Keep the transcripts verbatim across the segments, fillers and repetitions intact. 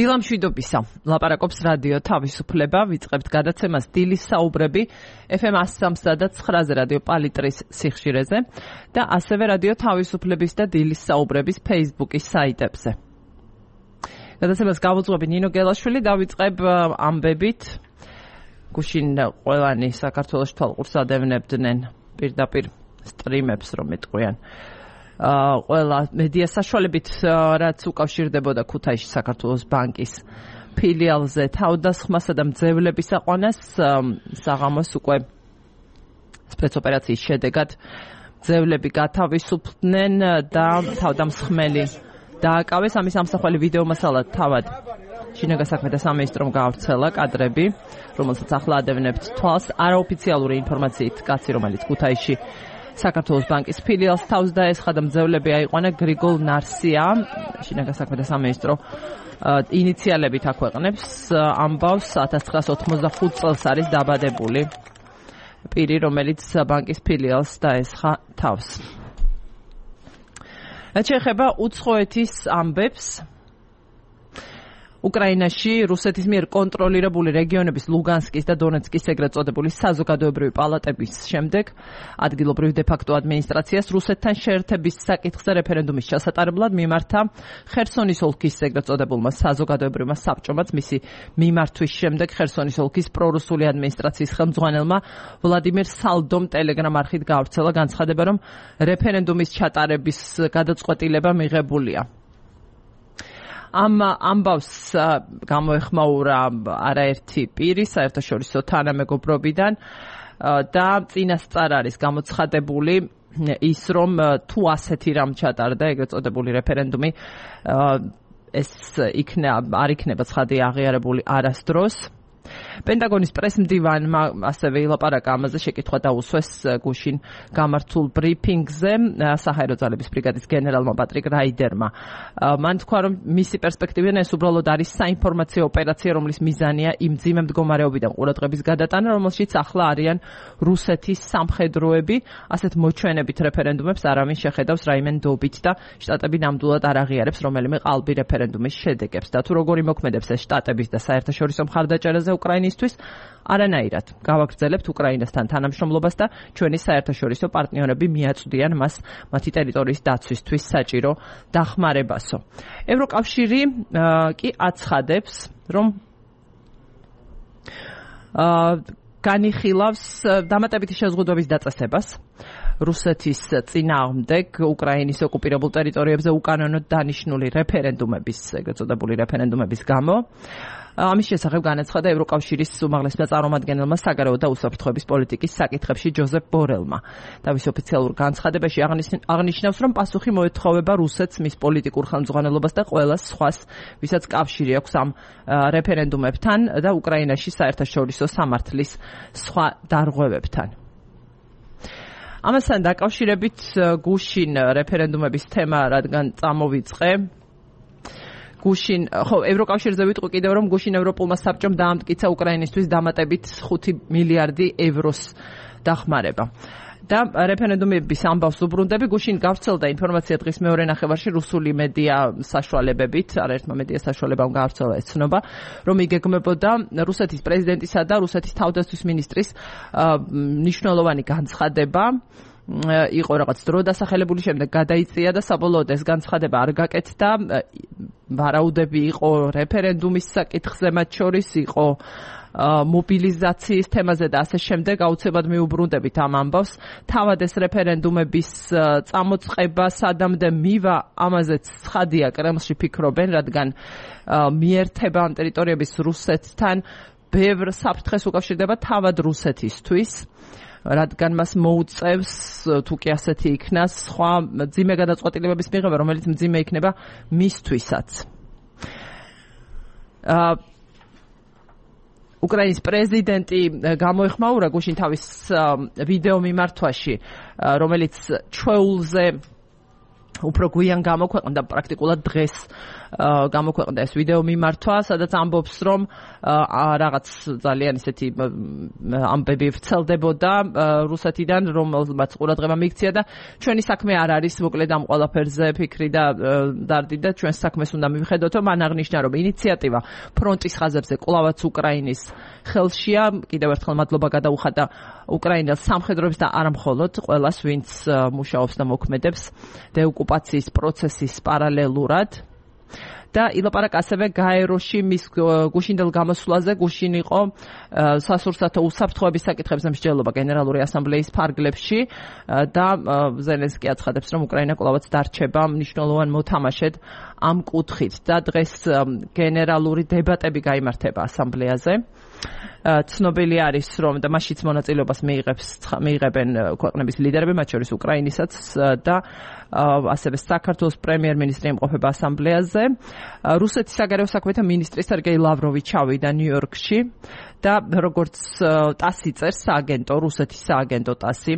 დილამშვიდობისა, ლაპარაკობს რადიო თავისუფლება, ვიწყებთ გადაცემას დილის საუბრები ეფ ემ one oh three და nine-ზე რადიო პალიტრის სიხშირეზე და ასევე რადიო თავისუფლების და დილის საუბრების Facebook-ის საიტებზე. გადაცემას გავუძღვები ნინო გელაშვილი, დავიწყებ ამბებით. გუშინ ყველანი საქართველოში თვალყურს ადევნებდნენ პირდაპირ სტრიმებს, რომ მეტყვიან. ყველა მედია საშუალებით, რაც უკავშირდებოდა ქუთაისში საქართველოს ბანკის ფილიალზე თავდასხმასა და მძევლების აყვანას, საღამოს უკვე სპეცოპერაციის შედეგად მძევლები გათავისუფლდნენ და თავდამსხმელი დააკავეს. ამის ამსახველი ვიდეო მასალა თავად შინაგან საქმეთა სამინისტრომ გაავრცელა კადრები, რომელსაც ახლა ადევნებთ თვალს. არაოფიციალური ინფორმაციით კაცი, რომელიც ქუთაისში საქართველოს ბანკის ფილიალს თავს დაესხა და მძევლები აიყვანა, გრიგოლ ნარსია, შინაგან საქმეთა სამინისტრო ინიციალებით აქვეყნებს ამბავს. ათას ცხრაასი ოთხმოცდახუთ წელს არის დაბადებული პირი, რომელიც ბანკის ფილიალს დაესხა თავს. რაც შეეხება უცხოეთის ამბებს, უკრაინაში რუსეთის მიერ კონტროლირებული რეგიონების ლუგანსკის და დონეცკის ეგრეთ წოდებული საზოგადოებრივი პალატების შემდეგ ადგილობრივ დე-ფაქტო ადმინისტრაციას რუსეთთან შეერთების საკითხზე რეფერენდუმის ჩასატარებლად მიმართა ხერსონის ოლქის ეგრეთ წოდებულმა საზოგადოებრივმა საბჭომაც. მისი მიმართვის შემდეგ ხერსონის ოლქის პრორუსული ადმინისტრაციის ხელმძღვანელმა ვლადიმირ სალდომ ტელეგრამ არხით გაავრცელა განცხადება, რომ რეფერენდუმის ჩატარების გადაწყვეტილება მიღებულია. ამ ამბავს გამოეხმაურა არაერთი პირი საერთაშორისო თანამეგობრობიდან და წინასწარ არის გამოცხადებული ის, რომ თუ ასეთი რამ ჩატარდა ეგრეთ წოდებული რეფერენდუმი, ეს იქნება არ იქნება ცხადი აღიარებული არასდროს. პენტაგონის პრესმდივანმა ასევე ილაპარაკა ამაზე, შეკითხვა დაუსვეს გუშინ გამართულ ბრიფინგზე საჰაერო ძალების ბრიგადის გენერალმა პატრიკ რაიდერმა. მან თქვა, რომ მისი პერსპექტივიდან ეს უბრალოდ არის საინფორმაციო ოპერაცია, რომლის მიზანია იმ მძიმე მდგომარეობიდან ყურადღების გადატანა, რომელშიც ახლა არიან რუსეთის სამხედროები. ასეთ მოჩვენებით რეფერენდუმებს არავინ შეხედავს რაიმე ნდობით და შტატები ნამდვილად არ აღიარებს რომელიმე ყალბი რეფერენდუმის შედეგებს. და თუ როგორი მოქმედებს ეს შტატების და საერთაშორისო მხარდაჭერაზე უკრაინისთვის, არანაირად გავაგრძელებთ უკრაინასთან თანამშრომლობას და ჩვენი საერთაშორისო პარტნიორები მიაწვდიან მას მათი ტერიტორიის დაცვისთვის საჭირო დახმარებასო. ევროკავშირი კი აცხადებს, რომ განიხილავს დამატებითი შეზღუდვების დაწესებას რუსეთის წინააღმდეგ უკრაინის ოკუპირებულ ტერიტორიებზე უკანონოდ დანიშნული რეფერენდუმების, ეგრეთ წოდებული რეფერენდუმების გამო. ამის შესახებ განაცხადა ევროკავშირის უმაღლესმა წარმომადგენელმა საგარეო და უსაფრთხოების პოლიტიკის საკითხებში ჯოზეფ ბორელმა. თავის ოფიციალურ განცხადებაში აღნიშნავს, რომ პასუხი მოეთხოვება რუსეთს, მის პოლიტიკურ ხელმძღვანელობას და ყველა სხვას, ვისაც კავშირი აქვს ამ რეფერენდუმებთან და უკრაინაში საერთაშორისო სამართლის სხვა დარღვევებთან. ამასთან დაკავშირებით გუშინ რეფერენდუმების თემა, რადგან წამოვიწყე, გუშინ, ხო, ევროკავშირზე ვიტყვი კიდევ, რომ გუშინ ევროპულმა საბჭომ დაამტკიცა უკრაინისთვის დამატებით ხუთი მილიარდი ევროს დახმარება. და რეფერენდუმების ამბავს უბრუნდები, გუშინ გავრცელდა ინფორმაცია დღის მეორე ნახევარში რუსული მედია საშუალებებით, არაერთმა მედია საშუალებამ გავრცელა ეს ცნობა, რომ იგეგმებოდა რუსეთის პრეზიდენტისა და რუსეთის თავდაცვის მინისტრის მნიშვნელოვანი განცხადება, იყო რაღაც დრო დასახელებული, შემდეგ გადაიწია და საბოლოოდ ეს განცხადება არ გაკეთდა. ვარაუდები იყო რეფერენდუმის საკითხზე, მათ შორის იყო მობილიზაციის თემაზე და ასე შემდეგ. აუცილებლად მიუბრუნდებით ამ ამბავს. თავად ეს რეფერენდუმების წამოწყება სადამდე მივა, ამაზეც ცხადია კრემლში ფიქრობენ, რადგან მიერთება ამ ტერიტორიების რუსეთთან ბევრ საფრთხეს უკავშირდება თავად რუსეთისთვის, რადგან მას მოუწევს, თუ კი ასეთი იქნა, სხვა მძიმე გადაწყვეტილებების მიღება, რომელიც მძიმე იქნება მისთვისაც. უკრაინის პრეზიდენტი გამოეხმაურა გუშინ თავის ვიდეო მიმართვაში, რომელიც ჩვეულზე უფრო გვიან გამოქვეყნდა, პრაქტიკულად დღეს გამოქვეყნდა ეს ვიდეო მიმართვა, სადაც ამბობს, რომ რაღაც ძალიან ისეთი ამბები ვრცელდებოდა რუსეთიდან, რომელმაც ყურადღება მიიქცია და ჩვენი საქმე არ არის მოკლედ ამ ყველაფერზე ფიქრი და დარდი და ჩვენს საქმეს უნდა მივხედოთ, რომ მან აღნიშნა, რომ ინიციატივა ფრონტის ხაზებზე კვლავაც უკრაინის ხელშია. კიდევ ერთხელ მადლობა გადაუხადა უკრაინელ სამხედროებს და არა მხოლოდ ყველას, ვინც მუშაობს და მოქმედებს დეოკუპაციის პროცესის პარალელურად. და ილაპარაკა ასევე გაეროში მის გუშინდელ გამოსვლაზე. გუშინ იყო სასურსათო უსაფრთხოების საკითხებზე მსჯელობა გენერალური ასამბლეის ფარგლებში და ზელენსკი აცხადებს, რომ უკრაინა კვლავაც დარჩება მნიშვნელოვან მოთამაშედ ამ კუთხით და დღეს გენერალური დებატები გაიმართება ასამბლეაზე. ცნობილი არის, რომ და მასშიც მონაწილეობას მიიღებს მიიღებენ ქვეყნების ლიდერები, მათ შორის უკრაინისაც და ასევე საქართველოს პრემიერ-მინისტრი იმყოფება ასამბლეაზე. რუსეთის საგარეო საქმეთა მინისტრი სერგეი ლავროვი ჩავიდა ნიუ-იორკში და როგორც ტასი წერს, სააგენტო, რუსეთის სააგენტო ტასი,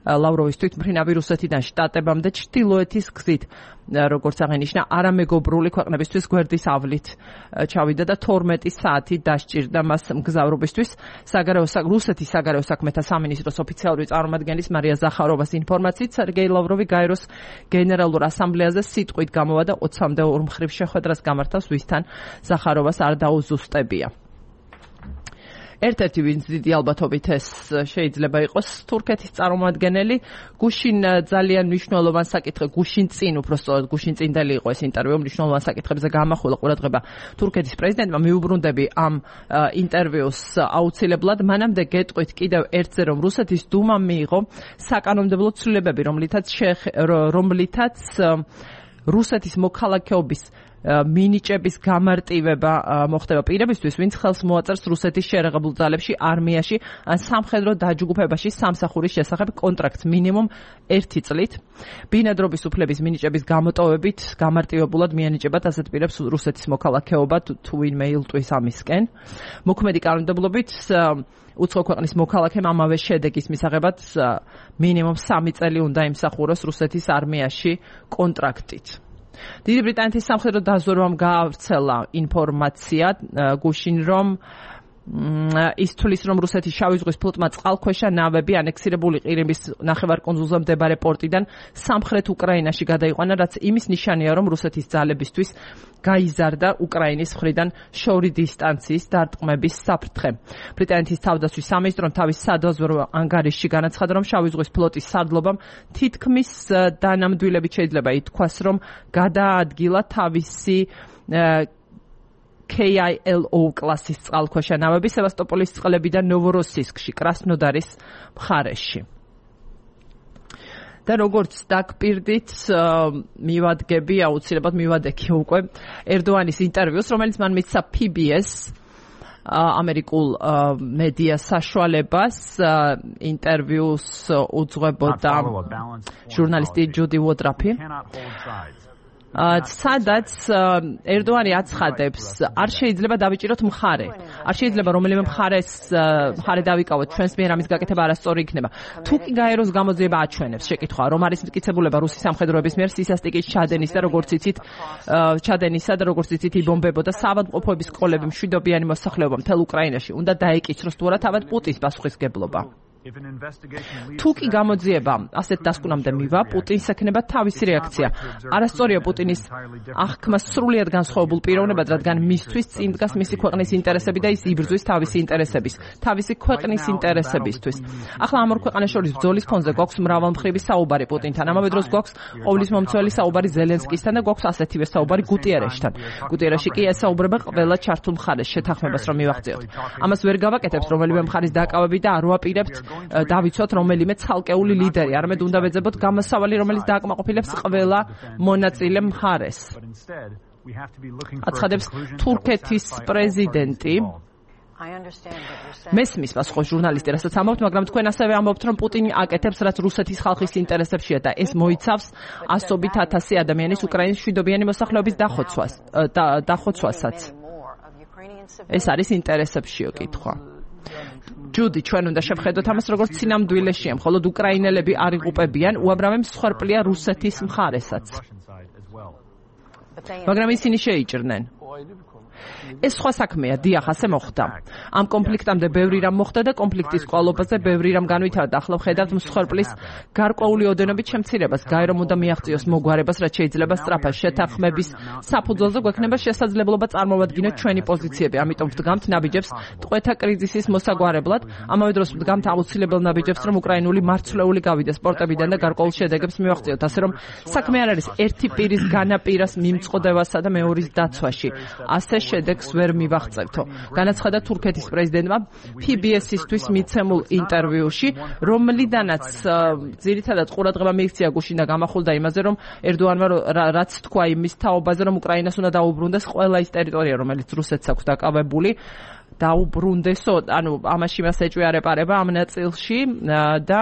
ლავროვის თვითმფრინავი რუსეთიდან შტატებამდე ჩრდილოეთის გზით, როგორც აღინიშნა, არამეგობრული ქვეყნებისთვის გვერდის ავლით ჩავიდა და თორმეტი საათი დასჭირდა მას მგზავრობისთვის. საგარეო რუსეთის საგარეო საქმეთა სამინისტროს ოფიციალური წარმომადგენლის მარია ზახაროვას ინფორმაციით, სერგეი ლავროვი გაეროს გენერალურ ასამბლეაზე სიტყვით გამოვა და ოცამდე ორ მხრივ შეხვედრას გამართავს, ვისთან ზახაროვას არ დაუზუსტებია. ერთ-ერთი ვინც დიდი ალბათობით ეს შეიძლება იყოს თურქეთის წარმომადგენელი. გუშინ ძალიან მნიშვნელოვან საკითხზე, გუშინ წინ უბრალოდ გუშინ წინდელი იყო ეს ინტერვიუ, მნიშვნელოვან საკითხებზე გამახვილა ყურადღება თურქეთის პრეზიდენტმა. მიუბრუნდები ამ ინტერვიუს აუცილებლად. მანამდე გეტყვით კიდევ ერთზე, რომ რუსეთის დუმამ მიიღო საკანონმდებლო ცვლილებები, რომლითაც რომლითაც რუსეთის მოქალაქეობის მინიჭების გამარტივება მოხდება პირებისთვის, ვინც ხელს მოაწერს რუსეთის შერეღებულ ძალებში, არმიაში ან სამხედრო დაჯგუფებაში სამსახურის შესახებ კონტრაქტს მინიმუმ ერთი წლით. ბინადრობის უფლების მინიჭების გამოტოვებით გამარტივებულად მიანიჭებათ ასეთ პირებს რუსეთის მოქალაქეობა, თუ ვინმე ილტვის ამისკენ. მოქმედი კანონმდებლობით უცხო ქვეყნის მოქალაქემ ამავე შედეგის მისაღებად მინიმუმ სამი წელი უნდა იმსახუროს რუსეთის არმიაში კონტრაქტით. დიდი ბრიტანეთის სამხედრო დაზვერვამ გაავრცელა ინფორმაცია გუშინ, რომ ის თulis, რომ რუსეთის შავი ზღვის ფლოტმა წყალქვეშა ნავები ანექსირებული ყირიმის ნახევარკუნძულზე მდებარე პორტიდან სამხრეთ უკრაინაში გადაიყვანა, რაც იმის ნიშანია, რომ რუსეთის ძალებისთვის გაიზარდა უკრაინის მხრიდან შორი დისტანციის დარტყმების საფრთხე. ბრიტანეთის თავდაცვის სამინისტრომ თავის სადაზვერვო ანგარიშში განაცხადა, რომ შავი ზღვის ფლოტის სარდლობამ თითქმის დანამდვილებით შეიძლება ითქვას, რომ გადაადგილა თავისი K I L O კლასის წყალქვეშა ნავები სევასტოპოლის წყლებიდან ნოვოროსისკში, კრასნოდარის მხარეში. და როგორც დაგპირდით, მივადგები, აუცილებლად მივადექი უკვე ერდოანის ინტერვიუს, რომელიც მან მისცა P B S ამერიკულ მედია საშუალებას. ინტერვიუს უძღვებოდა ჟურნალისტი ჯუდი ვოტრაფი. სადაც ერდოანი აცხადებს, არ შეიძლება დავიჭიროთ მხარე. არ შეიძლება რომელიმე მხარეს მხარე დავიკავოთ, ჩვენს მიერ ამის გაკეთება არასწორი იქნება. თუ კი გაეროს გამოძიება აჩვენებს შეკითხვა, რომ არის მტკიცებულება რუსის სამხედროების მიერ სისასტიკის ჩადენის და როგორც იცით, ჩადენისა და როგორც იცით იბომბებოდა საავადმყოფოების სკოლები, მშვიდობიანი მოსახლეობა მთელ უკრაინაში, უნდა დაეკიცროს თუ არა თავად პუტინის პასუხისგებლობა. თუ კი გამოძიება ასეთ დასკვნამდე მივა, პუტინს ექნება თავისი რეაქცია. არასწორია პუტინის აღქმა სრულიად განსხვავებულ პიროვნებად, რადგან მისთვის წინ დგას მისი ქვეყნის ინტერესები და ის იბრძვის თავისი ინტერესების, თავისი ქვეყნის ინტერესებისთვის. ახლა ამ ორ ქვეყანას შორის ბრძოლის ფონზე გვაქვს მრავალმხრივი საუბარი პუტინთან. ამავე დროს გვაქვს ყოვლისმომცველი საუბარი ზელენსკისთან და გვაქვს ასეთივე საუბარი გუტიერეშთან. გუტიერეში კი ესაუბრება ყველა ჩართულ მხარეს შეთანხმებას რომ მივახციოთ. ამას ვერ გავაკეთებთ რომელიმე მხარის დაკავებით და არ ვაპირებთ დავიცვათ რომელიმე ცალკეული ლიდერი, არამედ უნდა ვეძებოთ გამოსავალი, რომელიც დააკმაყოფილებს ყველა მონაწილე მხარეს. აცხადებს თურქეთის პრეზიდენტი. მესმის პასუხობს ჟურნალისტი, რასაც ამბობთ, მაგრამ თქვენ ასევე ამბობთ, რომ პუტინი აკეთებს, რაც რუსეთის ხალხის ინტერესებშია და ეს მოიცავს ასობით ათასი ადამიანის უკრაინის მშვიდობიანი მოსახლეობის დახოცვას, დახოცვასაც. ეს არის ინტერესებშიო კითხვა. ჯუდი, ჩვენ უნდა შევხედოთ ამას როგორც სინამდვილეშია, მხოლოდ უკრაინელები არ იღუპებიან, უამრავი მსხვერპლია რუსეთის მხარესაც. მაგრამ ისინი შეიჭრნენ. ეს სხვა საქმეა, დიახ, ასე მოხდა. ამ კონფლიქტამდე ბევრი რამ მოხდა და კონფლიქტის კვალობაზე ბევრი რამ განვითარდა. ახლა ვხედავთ მსხვერპლის გარკვეული ოდენობით შემცირებას. გაერომ უნდა მიაღწიოს მოგვარებას, რაც შეიძლება სწრაფად შეთანხმების საფუძველზე გვექნება შესაძლებლობა წარმოვადგინოთ ჩვენი პოზიციები. ამიტომ ვდგამთ ნაბიჯებს ტყვეთა კრიზისის მოსაგვარებლად. ამავე დროს ვდგამთ აუცილებელ ნაბიჯებს, რომ უკრაინული მარცვლეული გავიდეს პორტებიდან და გარკვეულ შედეგებს მივაღწიოთ. ასე რომ საქმე არ არის ერთი პირის განაპირას მიმწყდებასა და მეორის დაცვაში. ასე შედეგს ვერ მივაღწევთო. განაცხადა თურქეთის პრეზიდენტმა პი ბი ეს-ისთვის მიცემულ ინტერვიუში, რომლიდანაც ძირითადად ყურადღება მიიქცია გუშინ და გამახულდა იმაზე, რომ ერდოანმა რაც თქვა იმის თაობაზე, რომ უკრაინას უნდა დაუბრუნდეს ყველა ის ტერიტორია, რომელიც რუსეთს აქვს დაკავებული, დაუბრუნდესო, ანუ ამაში მას ეჭვიარეპარება ამ ნაწილში და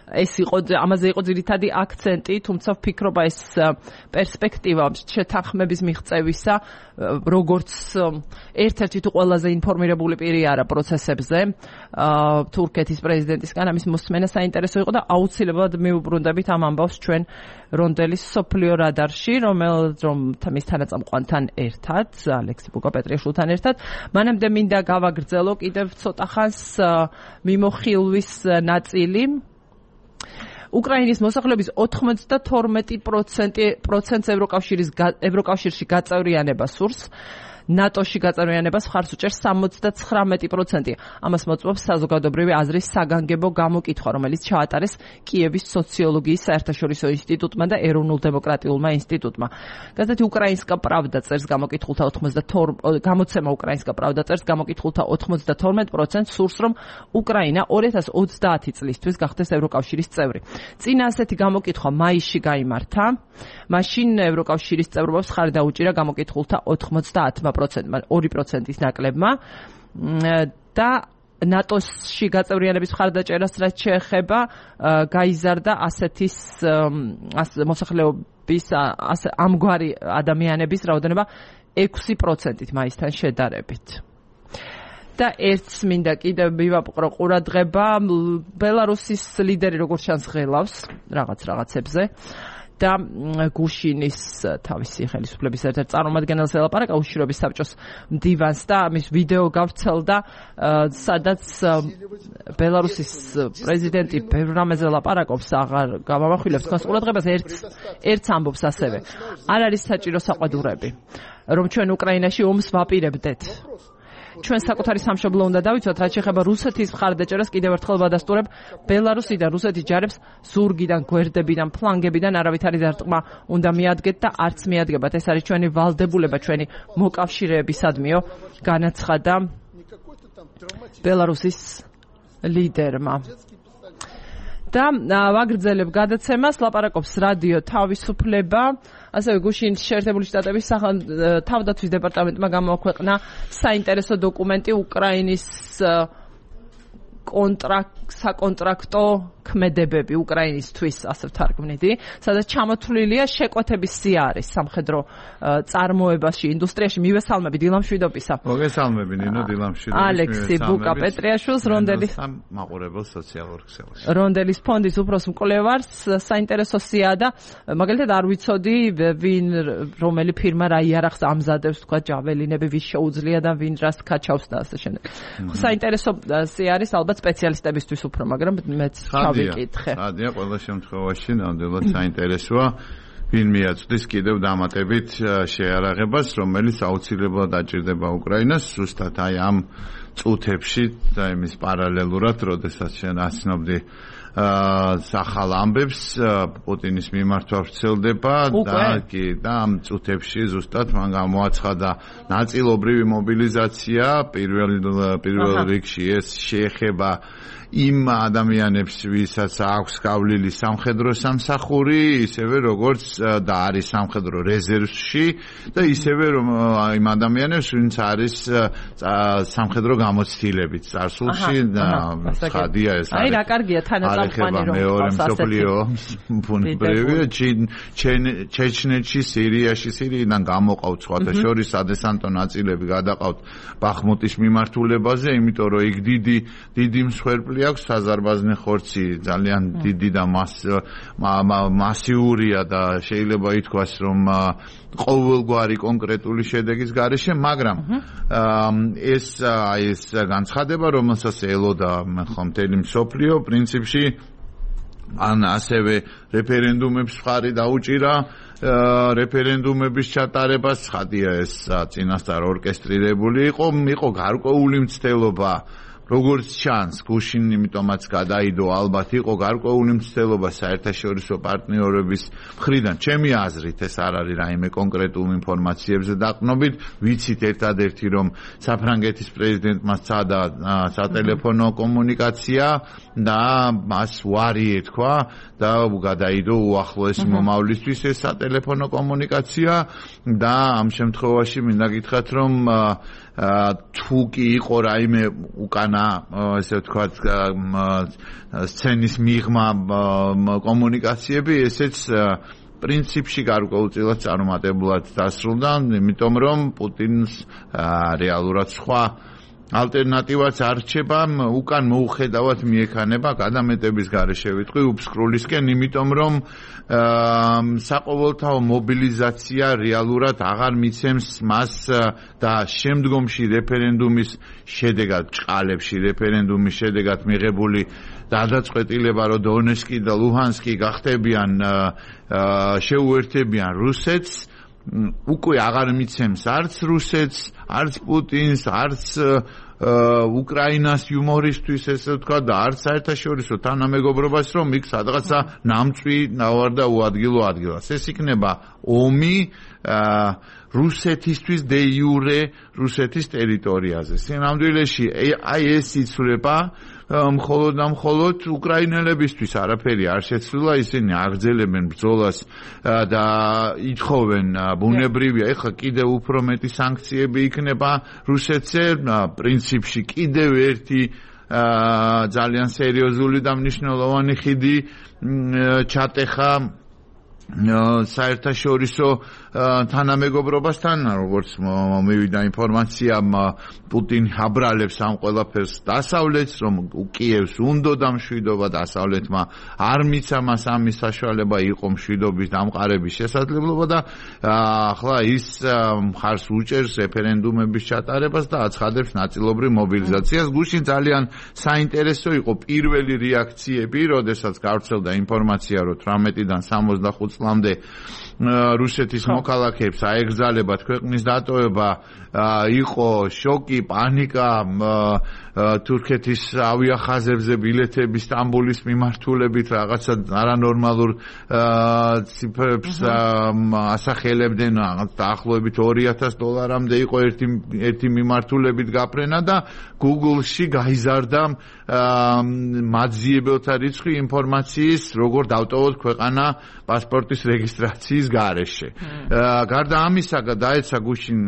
ეს იყო ამაზე იყო ძირითადი აქცენტი, თუმცა ვფიქრობ ეს პერსპექტივა შეთანხმების მიღწევისა, როგორც ერთ-ერთი თუ ყველაზე ინფორმირებული პირი არა პროცესებზე, თურქეთის პრეზიდენტისგან ამის მოსმენა საინტერესო იყო და აუცილებლად მივუბრუნდებით ამ ამბავს ჩვენ რონდელის სოფლიო რადარში, რომელიც რომ მის თანაწამყვანთან ერთად, ალექსი ბუკა-პეტრიაშვილთან ერთად, მანამდე მინდა გავაგრძელო კიდევ ცოტა ხანს მიმოხილვის ნაწილი. უკრაინის მოსახლეობის ოთხმოცდათორმეტი პროცენტს ევროკავშირის ევროკავშირში გაწევრიანება სურს. ნატოში გაწევრიანებას მხარს უჭერს სამოცდაცხრამეტი პროცენტი. ამას მოწმობს საზოგადოებრივი აზრის საგანგებო გამოკითხვა, რომელიც ჩაატარეს კიევის სოციოლოგიის საერთაშორისო ინსტიტუტმა და ეროვნულ დემოკრატიულმა ინსტიტუტმა. გაზეთი უკრაინსკა პრავდა წერს გამოკითხულთა ოცდათორმეტ გამოცემა უკრაინსკა პრავდა წერს გამოკითხულთა ოცდათორმეტ პროცენტს სურს, რომ უკრაინა ორი ათას ოცდაათი წლისთვის გახდეს ევროკავშირის წევრი. წინა ასეთი გამოკითხვა მაისში გაიმართა. მაშინ ევროკავშირის წევრობას ხარი დაუჭირა გამოკითხულთა ოცდაათმა პროცენტმა, ორი პროცენტის ნაკლებმა და ნატოში გაწევრიანების მხარდაჭერას რაც შეეხება გაიზარდა ასეთის მოსახლეობის ამგვარი ადამიანების რაოდენობა ექვსი პროცენტით მაისთან შედარებით. და ერთს მინდა კიდევ მივაპყრო ყურადღება, ბელარუსის ლიდერი როგორც ჩანს ღელავს რაღაც რაღაცებზე. და გუშინის თავისი ხელისუფლების ერთ-ერთ წარმომადგენელს ელაპარაკა უშიშროების საბჭოს მდივანს და მის ვიდეო გავრცელდა, სადაც ბელარუსის პრეზიდენტი ბევრ რამეზე ელაპარაკობს, აღარ გამამახვილებს თქვენს ყურადღებას, ერთს ერთს ამბობს ასევე. არ არის საჭირო საყვედურები, რომ ჩვენ უკრაინაში ომს ვაპირებდეთ. ჩვენ საკუთარი სამშობლო უნდა დავიცვათ, რაც შეეხება რუსეთის მხარდაჭერას კიდევ ერთხელ ვადასტურებ, ბელარუსიდან რუსეთის ჯარებს ზურგიდან, გვერდებიდან, ფლანგებიდან არავითარი დარტყმა უნდა მიადგეთ და არც მიადგებათ. ეს არის ჩვენი ვალდებულება, ჩვენი მოკავშირეებისადმიო, განაცხადა ბელარუსის ლიდერმა. და ვაგრძელებ გადაცემას, ლაპარაკობს რადიო თავისუფლება. ასევე გუშინ შეერთებული შტატების თავდაცვის დეპარტამენტმა გამოაქვეყნა საინტერესო დოკუმენტი უკრაინის საკონტრაქტო ქმედებები უკრაინისთვის, ასე ვთარგმნიდი, სადაც ჩამოთვლილია შეკვეთების სიარის სამხედრო წარმოებაში, ინდუსტრიაში. მივესალმები დილამშვიდობისა. მოგესალმები ნინო დილამშვიდობის. ალექსი ბუკა-პეტრიაშვილს, რონდელის მაყურებელ სოციალურ ქსელში. რონდელის ფონდის უფროს მკვლევარს. საინტერესო სიაა და მაგალითად არ ვიცოდი ვინ რომელი ფირმა რა იარაღს ამზადებს, თქვა ჯაველინები ვის შეუძლია და ვინ რას კაჩავს და ასე შემდეგ. საინტერესო სიარის ალბათ სპეციალისტებისთვის უფრო, მაგრამ მეც ჩავიკითხე. სადია ყველა შემთხვევაში ნამდვილად საინტერესოა. ვინ მიაწვდის კიდევ დამატებით შეარაღებას, რომელიც აუცილებლად დაჭირდება უკრაინას, ზუსტად აი ამ წუთებში და იმის პარალელურად, როდესაც შენ ასნობდი სახალ ამბებს პუტინის მიმართვა ვრცელდება და კი და ამ წუთებში ზუსტად მან გამოაცხადა ნაწილობრივი მობილიზაცია. პირველ პირველ რიგში ეს შეეხება იმ ადამიანებს, ვისაც აქვს გავლილი სამხედრო სამსახური, ისევე როგორც და არის სამხედრო რეზერვში და ისევე რომ იმ ადამიანებს, ვინც არის სამხედრო გამოცდილებით წარსულში და ხადია ეს. აი რა კარგია თანაწამო ეხება მეორე მსოფლიო ბუნებრივია ჩეჩნეთში, სირიაში, სირიიდან გამოყავთ სხვათა შორის სადესანტო ნაწილები გადაყავთ ბახმუტის მიმართულებაზე, იმიტომ რომ იქ დიდი დიდი მსხვერპლი აქვს, საზარბაზნე ხორცი ძალიან დიდი და მასიურია და შეიძლება ითქვას, რომ ყოველგვარი კონკრეტული შედეგის გარეშე, მაგრამ ეს ეს განცხადება, რომელსაც ელოდა ხომთელი მსოფლიო, პრინციპში ან ასევე რეფერენდუმებს მხარი დაუჭირა, რეფერენდუმების ჩატარებას, ხადია ეს წინასწარ ორკესტრირებული იყო, იყო გარკვეული მცდელობა, როგორც ჩანს, გუშინ იმიტომაც გადაიდო, ალბათ იყო გარკვეული მცდელობა საერთაშორისო პარტნიორების მხრიდან. ჩემი აზრით ეს არ არის რაიმე კონკრეტულ ინფორმაციებზე დაყრდნობით, ვიცით ერთადერთი, რომ საფრანგეთის პრეზიდენტმა სცადა სატელეფონო კომუნიკაცია და მას უარი ეთქვა და გადაიდო უახლოესი მომავლისთვის ეს სატელეფონო კომუნიკაცია და ამ შემთხვევაში მინდა გითხრათ, რომ თუ კი იყო რაიმე უკანა ესე ვთქვათ სცენის მიღმა კომუნიკაციები, ესეც პრინციპში გარკვეულწილად წარუმატებლად დასრულდა, იმიტომ რომ პუტინს რეალურად სხვა ალტერნატივაც არ რჩება, უკან მოუხედავად მიექანება გადამეტების გარეშე ვიტყვი უფსკრულისკენ, იმიტომ რომ საყოველთაო მობილიზაცია რეალურად აღარ მიცემს მას და შემდგომში რეფერენდუმის შედეგად, ჭყალებში რეფერენდუმის შედეგად მიღებული გადაწყვეტილება, რომ დონეცკი და ლუჰანსკი გახდებიან შეუერთებიან რუსეთს, უკვე აღარ მიცემს არც რუსეთს, არც პუტინს, არც უკრაინას იუმორისტვის, ესე ვთქვა, და არც საერთაშორისო თანამეგობრობას, რომ იქ სადღაცა ნამწვი ნავარ და უადგილო ადგილას. ეს იქნება ომი რუსეთისთვის დე იურე რუსეთის ტერიტორიაზე. სინამდვილეში აი ეს იცვლება მხოლოდ და მხოლოდ უკრაინელებისთვის, არაფერი არ შეცვლილა, ისინი აგრძელებენ ბრძოლას და ითხოვენ ბუნებრივია, ეხლა კიდევ უფრო მეტი სანქციები იქნება რუსეთზე, პრინციპში კიდევ ერთი ძალიან სერიოზული და მნიშვნელოვანი ხიდი ჩატეხა საერთაშორისო თანამეგობრობასთან, როგორც მივიდა ინფორმაცია, პუტინი აბრალებს ამ ყველაფერს დასავლეთს, რომ კიევს უნდოდა მშვიდობა, დასავლეთმა არ მიცა მას ამის საშუალება, იყო მშვიდობის დამყარების შესაძლებლობა და ახლა ის მხარს უჭერს რეფერენდუმების ჩატარებას და აცხადებს ნაწილობრივ მობილიზაციას. გუშინ ძალიან საინტერესო იყო პირველი რეაქციები, როდესაც გავრცელდა ინფორმაცია, რომ თვრამეტიდან სამოცდახუთ წლამდე რუსეთის მოქალაქეებს აეგზალებათ ქვეყნის დატოვება, იყო შოკი, პანიკა, თურქეთის ავიახაზებზე ბილეთები სტამბოლის მიმართულებით რაღაცა არანორმალურ ციფრებს ასახელებდნენ, დაახლოებით ორი ათას დოლარამდე იყო ერთი ერთი მიმართულებით გაფრენა და Google-ში გაიზარდა მაძიებელთა რიცხვი ინფორმაციის, როგორ დავტოვოთ ქვეყანა პასპორტის რეგისტრაციის გარეშე. გარდა ამისა, დაეცა გუშინ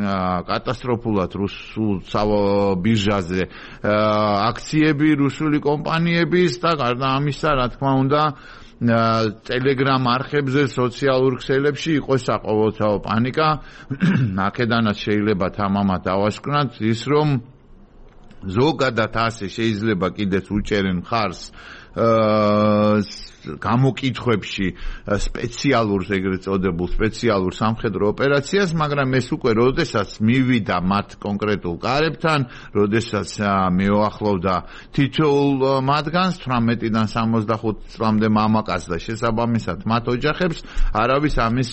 კატასტროფულად რუსულ ბირჟაზე აქციები რუსული კომპანიების და გარდა ამისა, რა თქმა უნდა, Telegram არხებზე, სოციალურ ქსელებში იყო საყოველთაო პანიკა. აქედანაც შეიძლება თამამად დავასკვნათ ის, რომ ზოგადად ასე შეიძლება კიდეც უჭერენ მხარს გამოკითხვებში სპეციალურს, ეგრეთ წოდებულ სპეციალურ სამხედრო ოპერაციას, მაგრამ ეს უკვე როდესაც მივიდა მათ კონკრეტულ კარებთან, როდესაც მეუახლოვდა თითოეულ მათგანს, თვრამეტიდან სამოცდახუთ წლამდე მამაკაცს და შესაბამისად მათ ოჯახებს, არავის ამის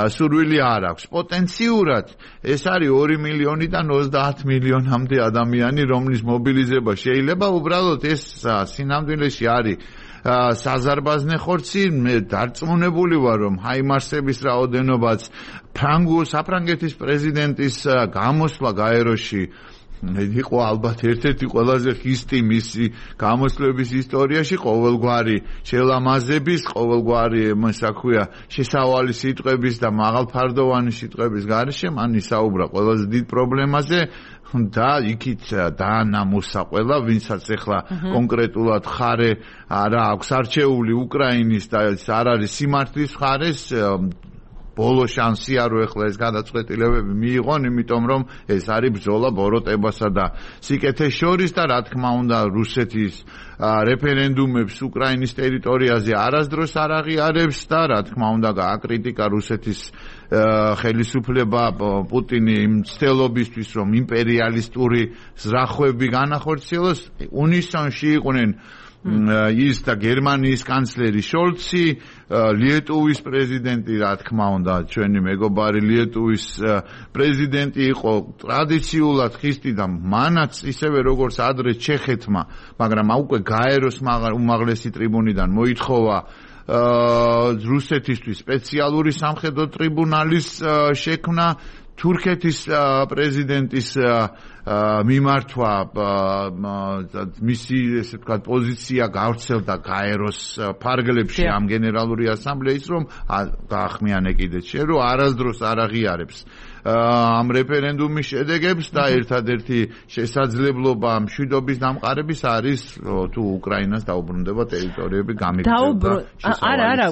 სურვილი არ აქვს. პოტენციურად ეს არის ორი მილიონიდან ოცდაათ მილიონამდე ადამიანი, რომლის მობილიზება შეიძლება, უბრალოდ ეს სინამდვილეში არის საზარბაზნე ხორცი. მე დარწმუნებული ვარ, რომ ჰაიმარსების რაოდენობაც ფრანგულ საფრანგეთის პრეზიდენტის გამოსვლა გაეროში იყო ალბათ ერთ-ერთი ყველაზე ხისტი მისი გამოსვლების ისტორიაში, ყოველგვარი შელამაზების, ყოველგვარი ასე ქვია შესავალი სიტყვების და მაღალფარდოვანი სიტყვების გარეშე მან ისაუბრა ყველაზე დიდ პრობლემაზე, და იქით დაანამოსა ყველა, ვინცაც ახლა კონკრეტულად ხარე არა აქვს არჩეული უკრაინის და არ არის სიმართლის ხარეს, ბოლო შანსი არ უეხლა ეს გადაწყვეტილებები მიიღონ, იმიტომ რომ ეს არის ბრძოლა ბოროტებასა და სიკეთეს შორის და რა თქმა უნდა რუსეთის რეფერენდუმებს უკრაინის ტერიტორიაზე არასდროს არ აღიარებს და რა თქმა უნდა გააკრიტიკა რუსეთის ხელისუფლება პუტინი იმ ცდილობისთვის რომ იმპერიალისტური ზრახვები განახორციელოს, უნისონში იყვნენ ის და გერმანიის კანცლერი შოლცი, ლიეტუვის პრეზიდენტი, რა თქმა უნდა, ჩვენი მეგობარი ლიეტუვის პრეზიდენტი იყო ტრადიციულად ხისტი და მანაც ისევე როგორც ადრე ჩეხეთმა, მაგრამ უკვე გაეროს უმაღლესი ტრიბუნიდან მოითხოვა რუსეთისთვის სპეციალური სამხედრო ტრიბუნალის შექმნა, თურქეთის პრეზიდენტის მიმართვა მისი ესე ვთქვათ პოზიცია გავრცელდა გაეროს ფარგლებში ამ გენერალური ასამბლეის, რომ გაახმიანე კიდეც შე რომ არასდროს არ აღიარებს ამ რეფერენდუმის შედეგებს და ერთადერთი შესაძლებლობა მშვიდობის დამყარების არის თუ უკრაინას დაუბრუნდება ტერიტორიები გამიგდება. არა, არა,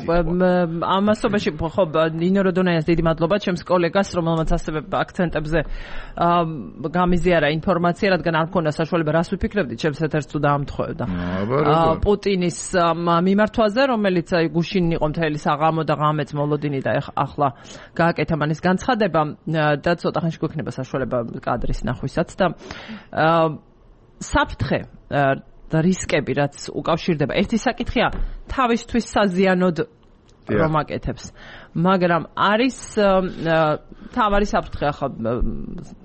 ამასობაში ხო ნინო როდონაიას დიდი მადლობა ჩემს კოლეგას, რომელმაც ასევე აქცენტებზე გამიზიარა ინფორმაცია, რადგან არ მქონდა საშუალება რას ვიფიქრებდით, ჩემს ეთერს თუ დაამთხოვდა. პუტინის მიმართვაზე, რომელიც გუშინ იყო მთელი საღამო და ღამეც მოლოდინი და ახლა გააკეთა მანის განცხადება და ცოტა ხანში გვექნება საშუალება კადრის ნახვისაც და საფრთხე და რისკები რაც უკავშირდება, ერთი საკითხია თავისთვის საზიანოდ რომ აკეთებს, მაგრამ არის თავარი საფრთხე, ახლა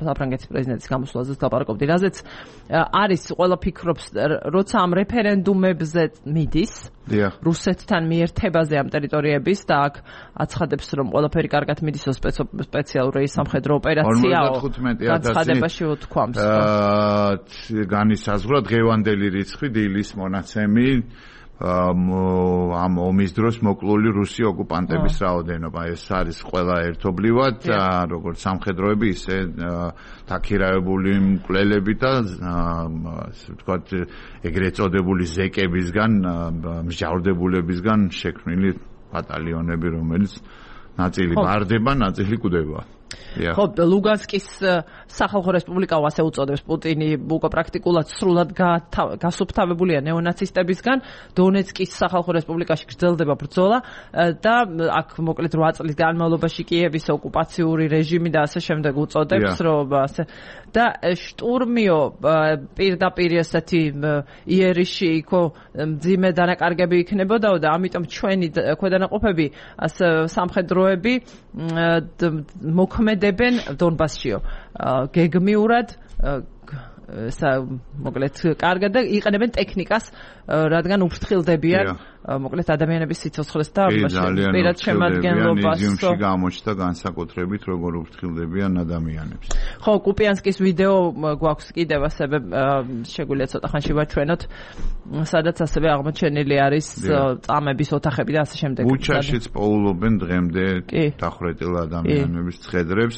საფრანგეთის პრეზიდენტის გამოსვლაზე ლაპარაკობდი, რაზეც არის ყველა ფიქრობს, როცა ამ რეფერენდუმებზე მიდის რუსეთთან მიერთებაზე ამ ტერიტორიების და აქ აცხადებს, რომ ყველაფერი კარგად მიდისო სპეციალური სამხედრო ოპერაციაო განცხადებაში უთქვამს. განისაზღვრა დღევანდელი რიცხვი დილის მონაცემი ამ ომის დროს მოკლული რუსი ოკუპანტების რაოდენობა. ეს არის ყველა ერთობლივად, როგორც სამხედროები, ისე დაქირავებული მკვლელები და ასე ვთქვათ, ეგრეთ წოდებული ზეკებისგან, მსჯავრდებულებისგან შექმნილი ბატალიონები, რომელიც ნაწილი ბარდება, ნაწილი კვდება. ხო, ლუგანსკის სახალხო რესპუბლიკაო ასე უწოდებს პუტინი, უკვე პრაქტიკულად სრულად გასუფთავებულია ნეონაცისტებისგან. დონეცკის სახალხო რესპუბლიკაში გრძელდება ბრძოლა და აქ მოკლედ რვა წლის განმავლობაში კიევის ოკუპაციური რეჟიმი და ასე შემდეგ უწოდებს, რომ ასე და შტურმიო პირდაპირ ესეთი იერიში იქო მძიმე დანაკარგები იქნებოდაო და ამიტომ ჩვენი ქვედანაყოფები ასე სამხედროები მოქმედებენ დონბასშიო გეგმიურად მოკლედ კარგად და იყენებენ ტექნიკას, რადგან უფრთხილდებიან მოკლედ ადამიანების სიცოცხლეს და პირად შემადგენლობას. იზიუმში გამოჩნდა განსაკუთრებით როგორ უფრთხილდებიან ადამიანებს. ხო, კუპიანსკის ვიდეო გვაქვს კიდევ ასევე შეგვიძლია ცოტა ხანში ვაჩვენოთ, სადაც ასევე აღმოჩენილი არის წამების ოთახები და ასე შემდეგ. ბუჩაშიც პოულობენ დღემდე დახვრეტილ ადამიანების ცხედრებს.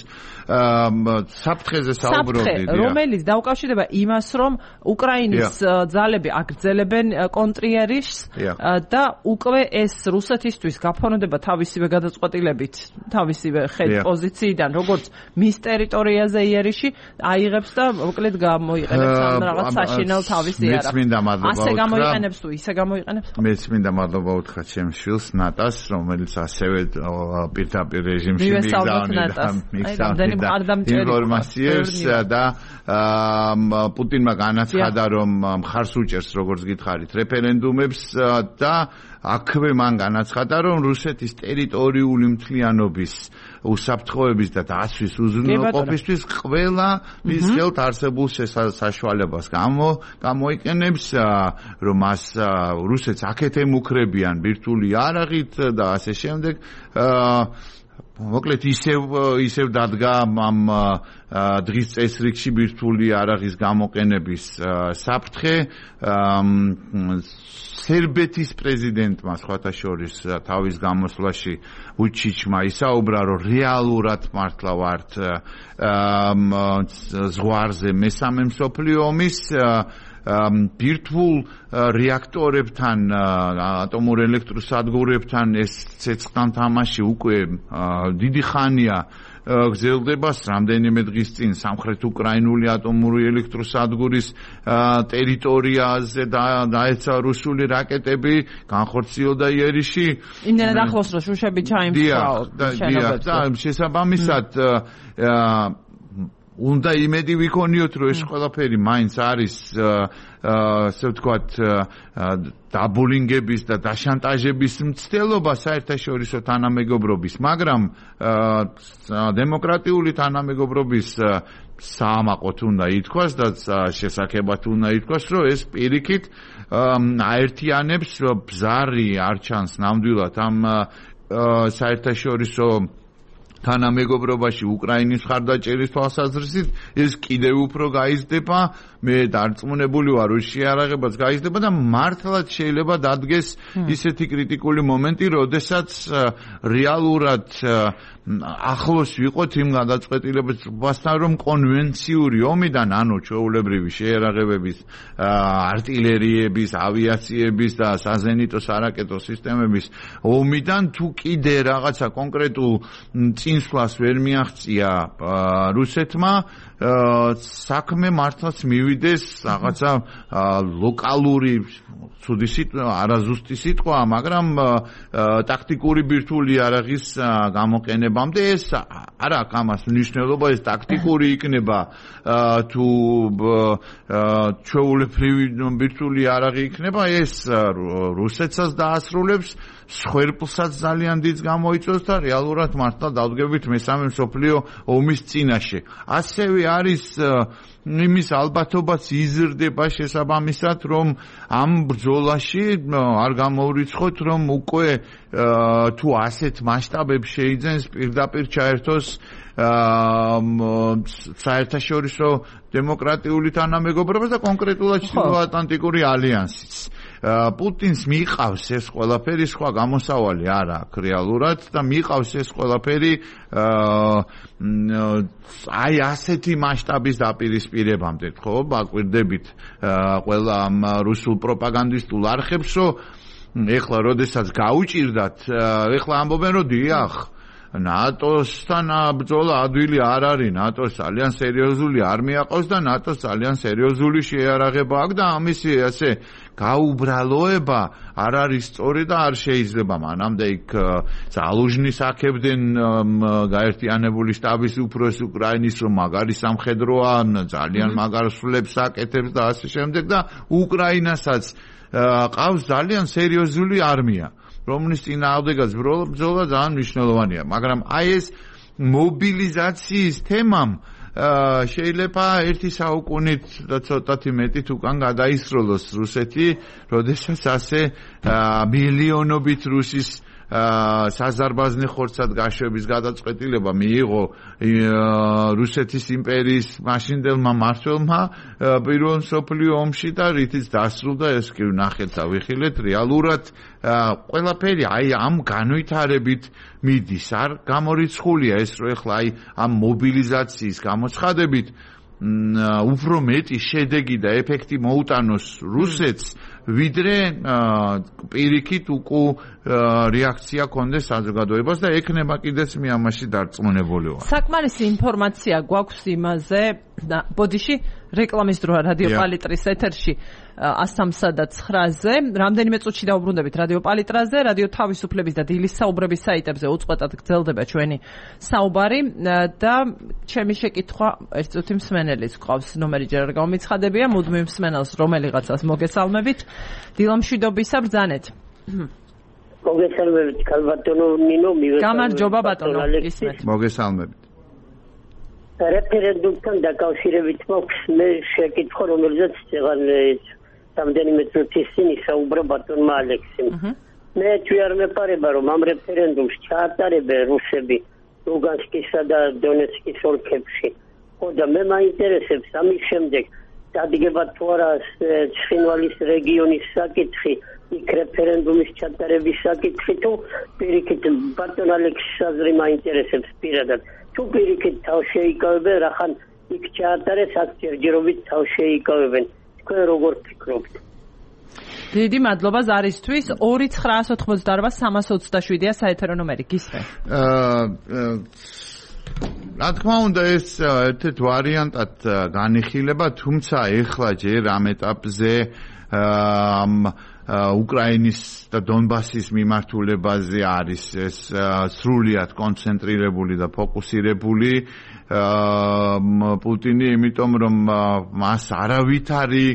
საფრთხეზე საუბრობდით, რომელიც დაუკავშირდება იმას, რომ უკრაინის ძალები აგრძელებენ კონტრიერის და უკვე ეს რუსეთისთვის გაფორმდება თავისივე გადაწყვეტილებით, თავისივე ხედ პოზიციიდან, როგორც მის ტერიტორიაზე იერიში აიღებს და მოკლედ გამოიყენებს ამ რაღაც საშინელ თავის იარაღს. ასე გამოიყენებს თუ ისე გამოიყენებს? მეც მინდა მადლობა უთხრა ჩემს შვილს ნატას, რომელიც ასევე პირდაპირ რეჟიმში მიგზავნიდა ინფორმაციებს და პუტინმა განაცხადა, რომ მხარს უჭერს, როგორც გითხარით, რეფერენდუმებს და აქვე მან განაცხადა, რომ რუსეთის ტერიტორიული მთლიანობის უსაფრთხოების და დაცვის უზრუნველყოფისთვის ყველა მის ხელთ არსებულ საშუალებას გამოიყენებს, რომ მას რუსეთს აქეთ ემუქრებიან ბირთვული იარაღით და ასე შემდეგ. მოკლედ ისევ ისევ დადგა ამ დღის წესრიგში ბირთვული არაღის გამოყენების საფრთხე სერბეთის პრეზიდენტმა სხვათა შორის თავის გამოსვლაში უჩიჩმა ისაუბრა რომ რეალურად მართლა ვართ ზღვარზე მესამე მსოფლიო ომის ბირთვულ რეაქტორებთან ატომურ ელექტროსადგურებთან ეს ცეცხლთან თამაში უკვე დიდი ხანია გრძელდება რამდენიმე დღის წინ სამხრეთ უკრაინული ატომური ელექტროსადგურის ტერიტორიაზე დაეცა რუსული რაკეტები განხორციელდა იერიში იმდენად ახლოს რომ შუშები ჩაიმსხვრა შენობებზე და შესაბამისად უნდა იმედი ვიქონიოთ რომ ეს ყველაფერი მაინც არის ასე ვთქვათ დაბულინგების და დაშანტაჟების მცდელობა საერთაშორისო თანამეგობრობის მაგრამ დემოკრატიული თანამეგობრობის საამაყოთ უნდა ითქვას და შესაძლებლად უნდა ითქვას რომ ეს პირიქით აერთიანებს ბზარი არ ჩანს ნამდვილად ამ საერთაშორისო თანამეგობრობაში უკრაინის მხარდაჭერის თვალსაზრისით ეს კიდევ უფრო გაიზრდება მე დარწმუნებული ვარ რომ შეარაღებაც გაიზრდება და მართლაც შეიძლება დადგეს ისეთი კრიტიკული მომენტი როდესაც რეალურად ახლოს ვიყოთ იმ გადაწყვეტილებასთან რომ კონვენციური ომიდან ანუ ჩვეულებრივი შეერაღებების артиლერიების ავიაციების და საზენიტო სარაკეტო სისტემების ომიდან თუ კიდე რაღაცა კონკრეტულ წინსვლას ვერ მიაღწია რუსეთმა საქმე მართლაც მივიდეს რაღაცა ლოკალური ცუდი სიტყვა არაზუსტი სიტყვა მაგრამ ტაქტიკური ბირთვული არაღის გამოყენებამდე ეს არ აქვს ამას მნიშვნელობა ეს ტაქტიკური იქნება თუ ჩვეულებრივი ბირთვული არაღი იქნება ეს რუსეთსაც დაასრულებს სხვერპლსაც ძალიან დიდს გამოიწვევს და რეალურად მართლა დავდგებით მესამე მსოფლიო ომის წინაშე ასევე არის იმის ალბათობაც იზრდება შესაბამისად რომ ამ ბრძოლაში არ გამოვრიცხოთ რომ უკვე თუ ასეთ მასშტაბებს შეიძენს პირდაპირ ჩაერთოს საერთაშორისო დემოკრატიული თანამეგობრობა და კონკრეტულად ჩრდილოატლანტიკური ალიანსიც პუტინს მიყავს ეს ყველაფერი სხვა გამოსავალი არ აქვს რეალურად და მიყავს ეს ყველაფერი აი ასეთი მასშტაბის დაპირისპირებამდე ხო აკვირდებით ყველა ამ რუსულ პროპაგანდისტულ არხებს რომ ეხლა როდესაც გაუჭირდათ ეხლა ამბობენ რომ დიახ ნატოსთან ბრძოლა ადვილი არ არის ნატოს ძალიან სერიოზული არმია ყავს და ნატოს ძალიან სერიოზული შეიარაღება აქვს და ამისი ასე გაუბრალოება არ არის სწორი და არ შეიძლება მანამდე იქ ზალუჟნის აქებდნენ გაერთიანებული შტაბის უფროს უკრაინის რომ მაგარი სამხედროა ძალიან მაგარ სულებს აკეთებს და ასე შემდეგ და უკრაინასაც ყავს ძალიან სერიოზული არმია რომლის წინააღმდეგაც ბრძოლა ძალიან მნიშვნელოვანია მაგრამ აი ეს მობილიზაციის თემამ შეიძლება ერთი საუკუნით და ცოტათი მეტით უკან გადაისროლოს რუსეთი როდესაც ასე მილიონობით რუსის საზარბაზნე ხორცად გაშვების გადაწყვეტილება მიიღო რუსეთის იმპერიის მაშინდელმა მმართველმა პირველ მსოფლიო ომში და რითიც დასრულდა ეს კი ნახეთ და ვიხილეთ რეალურად ყველაფერი აი ამ განვითარებით მიდის არ გამორიცხულია ეს რომ ეხლა აი ამ მობილიზაციის გამოცხადებით უფრო მეტი შედეგი და ეფექტი მოუტანოს რუსეთს ვიდრე პირიქით უკუ რეაქცია კონდეს საზოგადოებას და ექნება კიდეც მე ამაში დარწმუნებული ვარ. საკმარისი ინფორმაცია გვაქვს იმაზე და ბოდიში რეკლამის დროა რადიო პალიტრის ეთერში one thirty-nine ზე რამდენიმე წუთში დაუბრუნდებით რადიო პალიტრაზე რადიო თავისუფლების და დილის საუბრების საიტებზე უწყვეტად გრძელდება ჩვენი საუბარი და ჩემი შეკითხვა ერთ წუთი მსმენელის ყავს ნომერი ჯერ არ გამომიცხადებია მუდმივ მსმენელს რომელიღაცას მოგესალმებით დილამშვიდობისა ბრძანეთ მოგესალმებით ქალბატონო ნინო მივესალმებით გამარჯობა ბატონო ისმეთ მოგესალმებით რეფერენდუმთან დაკავშირებით მაქვს მე შეკითხვა რომელზეც წეგან რამდენიმე წუთის წინ ისაუბრა ბატონმა ალექსიმ მე თუ არ მეპარება რომ ამ რეფერენდუმს ჩაატარებენ რუსები ლუგანსკისა და დონეცკის ოლქებში. ხო და მე მაინტერესებს ამის შემდეგ დადგება თუ არა ცხინვალის რეგიონის საკითხი, იქ რეფერენდუმის ჩატარების საკითხი თუ პირიქით ბატონ ალექსის აზრი მაინტერესებს პირადად. თუ პირიქით თავს შეიკავებენ, რახან იქ ჩაატარეს აქ ჯერჯერობით თავს შეიკავებენ. თქვენ როგორ ფიქრობთ? დიდი მადლობა ზარისთვის. ორი ცხრაას ოთხმოცდაარბა სამას ოცდაშვიდია საეთერო ნომერი. გისმენთ? რა თქმა უნდა ეს ერთ-ერთ ვარიანტად განიხილება, თუმცა ეხლა ჯერ ამ ეტაპზე ამ უკრაინის და დონბასის მიმართულებაზე არის ეს სრულიად კონცენტრირებული და ფოკუსირებული პუტინი, იმიტომ რომ მას არავითარი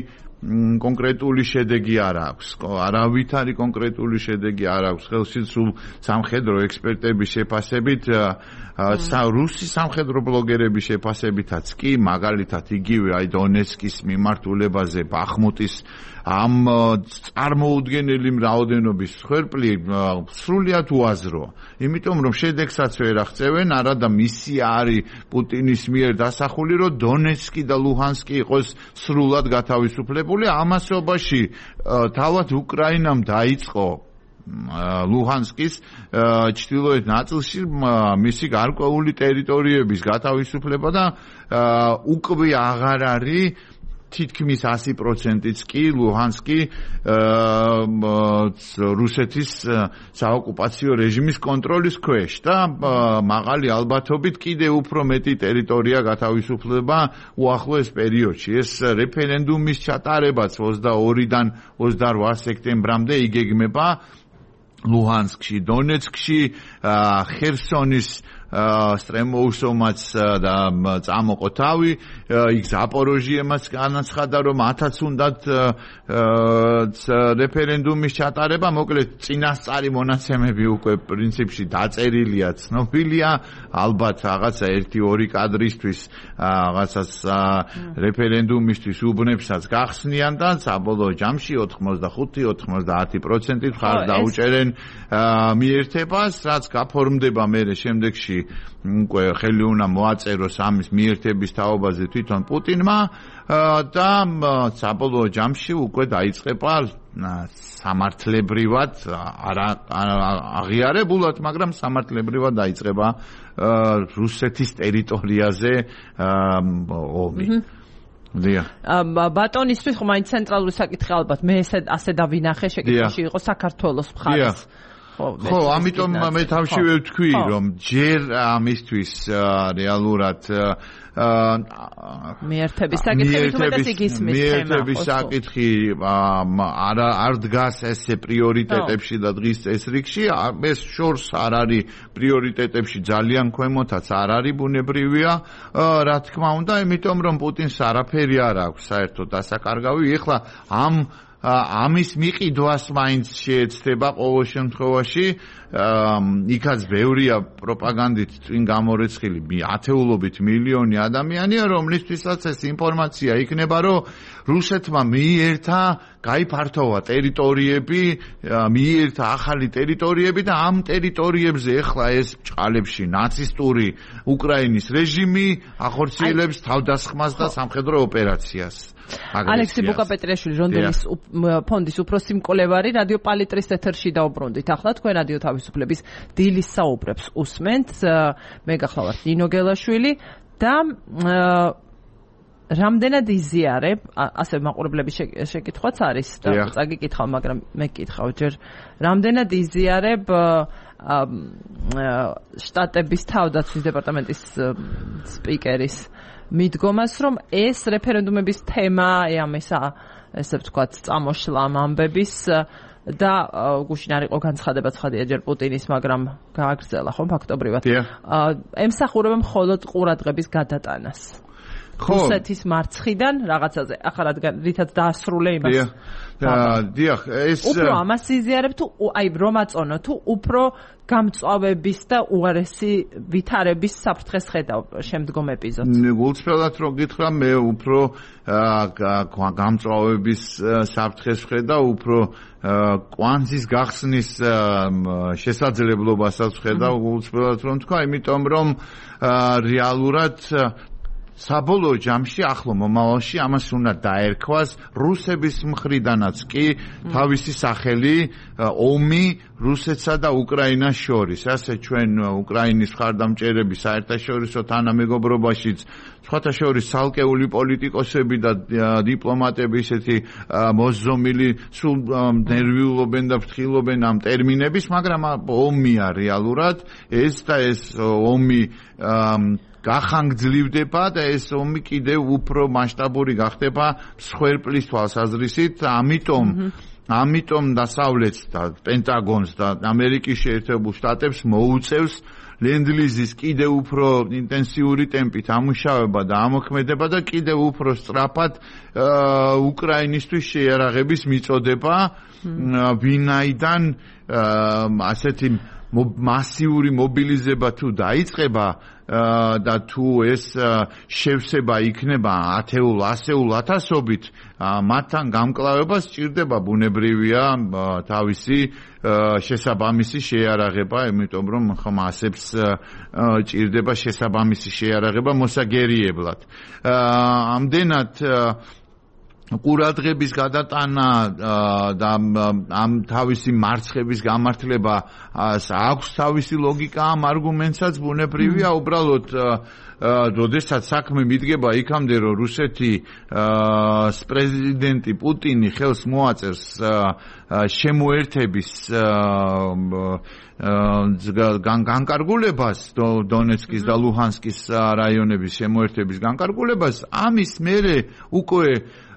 კონკრეტული შედეგი არ აქვს. არავითარი კონკრეტული შედეგი არ აქვს. ხელში სულ სამხედრო ექსპერტების შეფასებით, რუსი სამხედრო ბლოგერების შეფასებითაც კი, მაგალითად იგივე აი დონეცკის მიმართულებაზე ბახმუტის ამ წარმოუდგენელი რაოდენობის ხერპლი სრულიად უაზროა. იმიტომ რომ შედეგსაც ვერ აღწევენ, არადა მისია არის პუტინის მიერ დასახული, რომ დონეცკი და ლუჰანსკი იყოს სრულად გათავისუფლებული. ამასობაში თავად უკრაინამ დაიწყო ლუჰანსკის ჩრდილოეთ ნაწილში მისი გარკვეული ტერიტორიების გათავისუფლება და უკვე აღარ არის თითქმის ასი პროცენტიც კი ლუჰანსკი რუსეთის საოკუპაციო რეჟიმის კონტროლის ქვეშ და მაღალი ალბათობით კიდევ უფრო მეტი ტერიტორია გათავისუფლდება უახლოეს პერიოდში. ეს რეფერენდუმის ჩატარებაც ოცდაორიდან ოცდაორ სექტემბრამდე იგეგმება ლუჰანსკში, დონეცკში, ხერსონის სტრემოუსომაც და წამოყო თავი, იქ ზაპოროჟიემაც განაცხადა, რომ ათაც უნდათ რეფერენდუმის ჩატარება, მოკლედ წინასწარი მონაცემები უკვე პრინციპში დაწერილია, ცნობილია, ალბათ რაღაცა ერთი ორი კადრისთვის რაღაცას რეფერენდუმისთვის უბნებსაც გახსნიან და საბოლოო ჯამში ოთხმოცდახუთი ოთხმოცდაათი პროცენტი მხარს დაუჭერენ მიერთებას, რაც გაფორმდება მერე შემდეგში უკვე ხელი უნდა მოაწეროს ამის მიერთების თაობაზე თვითონ პუტინმა და საბოლოო ჯამში უკვე დაიწყება სამართლებრივად არა აღიარებულად, მაგრამ სამართლებრივად დაიწყება რუსეთის ტერიტორიაზე ომი. დიახ. ბატონისთვის ხომ მაინც ცენტრალური საკითხი ალბათ მე ესე ასე დავინახე შეკითხვაში იყო საქართველოს მხარეს. ხო, ამიტომ მე თავშივე ვთქვი, რომ ჯერ ამისთვის რეალურად მიერთების საკითხი თუმცა ისმის თემა. მიერთების საკითხი არ არ დგას ესე პრიორიტეტებში და დღის წესრიგში, ეს შორს არ არის პრიორიტეტებში ძალიან ქვემოთაც არ არის ბუნებრივია, რა თქმა უნდა, იმიტომ რომ პუტინს არაფერი არ აქვს საერთოდ დასაკარგავი. ეხლა ამ ამის მიყიდვას მაინც შეეცდება ყოველ შემთხვევაში, იქაც ბევრია პროპაგანდით წინ გამორეცხილი ათეულობით მილიონი ადამიანია, რომლისთვისაც ეს ინფორმაცია იქნება, რომ რუსეთმა მიიერთა გაიფართოვა ტერიტორიები, მიიერთა ახალი ტერიტორიები და ამ ტერიტორიებზე ეხლა ეს ბჭყალებში ნაცისტური უკრაინის რეჟიმი ახორციელებს თავდასხმას და სამხედრო ოპერაციას. ალექსი ბუკაპეტრიაშვილი რონდელის ფონდის უფროსი მკვლევარი რადიო პალიტრის ეთერში დაუბრუნდით. ახლა თქვენ რადიო თავისუფლების დილის საუბრებს უსმენთ. მე გახლავართ ნინო გელაშვილი და რამდენად იზიარებ, ასე მაყურებლების შეკითხვაც არის და წაგიკითხავ, მაგრამ მე გკითხავ ჯერ, რამდენად იზიარებ შტატების თავდაცვის დეპარტამენტის სპიკერის მიდგომას, რომ ეს რეფერენდუმების თემა, ამისა, ესე ვთქვათ, წამოშლა ამბების და გუშინ არ იყო განცხადება ცხადია ჯერ პუტინის, მაგრამ გააგრძელა ხომ ფაქტობრივად. ემსახურება მხოლოდ ყურადღების გადატანას. რუსეთის მარცხიდან რაღაცაზე. ახლა რადგან რითაც დაასრულე იმას. დიახ, ეს უფრო ამას იზიარებ თუ აი რომ აწონო თუ უფრო გამწვავების და უარესი ვითარების საფრთხეს ხედავ შემდგომ ეპიზოდს. გულწრფელად რო გითხრა, მე უფრო გამწვავების საფრთხეს ხედავ, უფრო კვანძის გახსნის შესაძლებლობასაც ხედავ გულწრფელად რომ თქვა, იმიტომ რომ რეალურად საბოლოო ჯამში ახლო მომავალში ამას უნდა დაერქვას რუსების მხრიდანაც კი თავისი სახელი ომი რუსეთსა და უკრაინას შორის. ასე ჩვენ უკრაინის მხარდამჭერები საერთაშორისო თანამეგობრობაშიც სხვათა შორის ცალკეული პოლიტიკოსები და დიპლომატები ისეთი მოსზომილი სულ ნერვიულობენ და ფრთხილობენ ამ ტერმინების, მაგრამ ომია რეალურად ეს და ეს ომი გახანგრძლივდება და ეს ომი კიდევ უფრო მასშტაბური გახდება მსხვერპლის თვალსაზრისით, ამიტომ ამიტომ დასავლეთს და პენტაგონს და ამერიკის შეერთებულ შტატებს მოუწევს ლენდლიზის კიდევ უფრო ინტენსიური ტემპით ამუშავება და ამოქმედება და კიდევ უფრო სწრაფად უკრაინისთვის შეიარაღების მიწოდება, ვინაიდან ასეთი მასიური მობილიზება თუ დაიწყება და თუ ეს შევსება იქნება ათეულ, ასეულ ათასობით, მათთან გამკლავება სჭირდება ბუნებრივია თავისი შესაბამისი შეიარაღება, იმიტომ რომ ხომ ასებს ჭირდება შესაბამისი შეიარაღება მოსაგერიებლად. ამდენად ყურადღების გადატანა და ამ თავისი მარცხების გამართლება აქვს თავისი ლოგიკა ამ არგუმენტსაც ბუნებრივია, უბრალოდ როდესაც საქმე მიდგება იქამდე, რომ რუსეთის პრეზიდენტი პუტინი ხელს მოაწერს შემოერთების განკარგულებას, დონეცკის და ლუჰანსკის რაიონების შემოერთების განკარგულებას, ამის მერე უკვე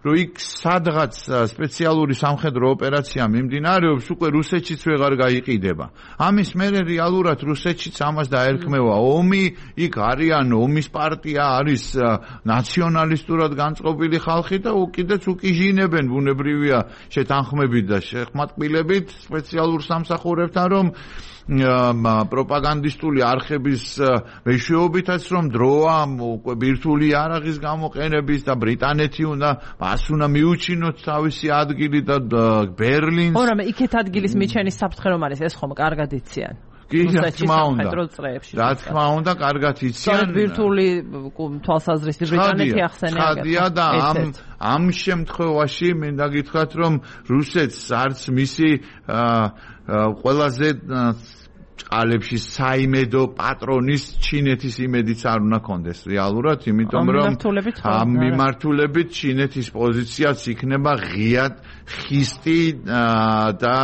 რომ იქ სადღაც სპეციალური სამხედრო ოპერაცია მიმდინარეობს, უკვე რუსეთშიც ვეღარ გაიყიდება. ამის მერე რეალურად რუსეთშიც ამას დაერქმევა ომი, იქ არიან ომის პარტია, არის ნაციონალისტურად განწყობილი ხალხი და უკიდეც უკიჟინებენ ბუნებრივია შეთანხმებით და შეხმატკბილებით სპეციალურ სამსახურებთან, რომ პროპაგანდისტული არხების მეშვეობითაც რომ დროა უკვე ბირთვული იარაღის გამოყენების და ბრიტანეთი უნდა მას უნდა მიუჩინოთ თავისი ადგილი და ბერლინს. ო, რამე იქეთ ადგილის მიჩენის საფრთხე რომ არის, ეს ხომ კარგად იციან. კი, რა თქმა უნდა. რა თქმა უნდა, კარგად იციან. ბირთვული თვალსაზრისით ბრიტანეთი ახსენე. ხადია და ამ ამ შემთხვევაში მინდა გითხრათ, რომ რუსეთს არც მისი ყველაზე წყალებში საიმედო პატრონის ჩინეთის იმედიც არ უნდა კონდეს რეალურად, იმიტომ რომ ამ მიმართულებით ჩინეთის პოზიციაც იქნება ღიად ხისტი და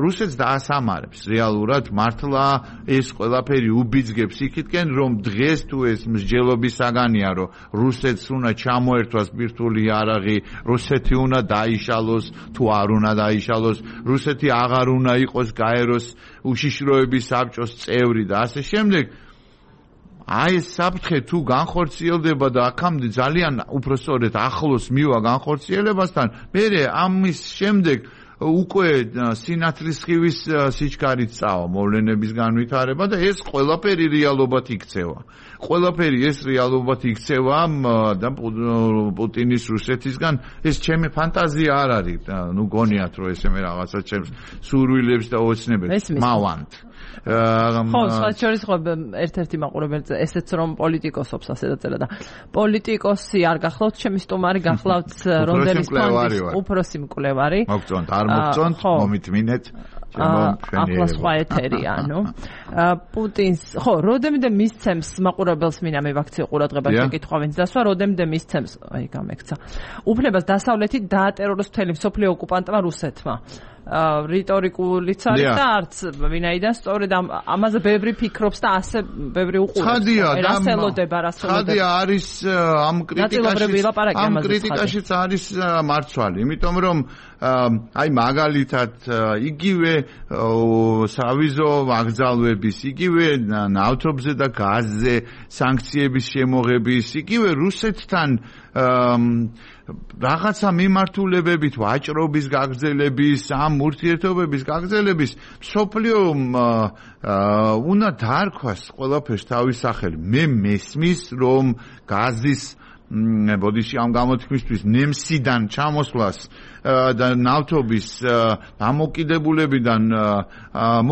რუსეთს დაასამარებს რეალურად მართლა ეს ყველაფერი უბიძგებს იქითკენ, რომ დღეს თუ ეს მსჯელობის საგანია, რომ რუსეთს უნდა ჩამოერთვას ბირთვული იარაღი, რუსეთი უნდა დაიშალოს თუ არ უნდა დაიშალოს, რუსეთი აღარ უნდა იყოს გაეროს უშიშროების საბჭოს წევრი და ასე შემდეგ. აი ეს საფრთხე თუ განხორციელდება და აქამდე ძალიან უпроსწორად ახლოს მივა განხორციელებასთან, მერე ამის შემდეგ უკვე სინათლის სხივის სიჩქარით წავა მოვლენების განვითარება და ეს ყველაფერი რეალობად იქცევა. ყველაფერი ეს რეალობად იქცევა და პუტინის რუსეთისგან ეს ჩემი ფანტაზია არ არის. ნუ გონიათ რომ ესე მე რაღაცა ჩემს სურვილებს და ოცნებებს მავანთ. ხო, საერთოდ ხო ერთ-ერთი მაყურებელი ესეც რომ პოლიტიკოსობს ასე დაწერა და პოლიტიკოსი არ გახლავთ, ჩემი სტუმარი გახლავთ რონდელის ფონდის უფროსი მკვლევარი. მოგწონთ, არ მოგწონთ, მომითმინეთ. ახლა სხვა ეთერია, ანუ პუტინს, ხო, როდემდე მისცემს მაყურებელს მინდა მე ვაქციო ყურადღებას შეკითხვა ვინც დასვა, როდემდე მისცემს, აი გამექცა. უფლებას დასავლეთით დაატეროროს მთელი მსოფლიო ოკუპანტმა რუსეთმა. რიტორიკულიც არის და არც ვინაიდან სწორედ ამაზე ბევრი ფიქრობს და ასე ბევრი უყურებს. ხადია და რასელოდება, რასელოდება. ხადია არის ამ კრიტიკაში ამ კრიტიკაშიც არის მარცვალი, იმიტომ რომ აი მაგალითად იგივე სავიზო ვაგზალების, იგივე ნავთობზე და გაზზე სანქციების შემოღების, იგივე რუსეთთან რაღაცა მიმართულებებით ვაჭრობის გაგრძელების, ამ ურთიერთობების გაგრძელების მსოფლიო უნდა დაარქვას ყველაფერს თავის სახელი. მე მესმის, რომ გაზის ბოდიში ამ გამოთქმისთვის ნემსიდან ჩამოსვლას და ნავთობის დამოკიდებულებიდან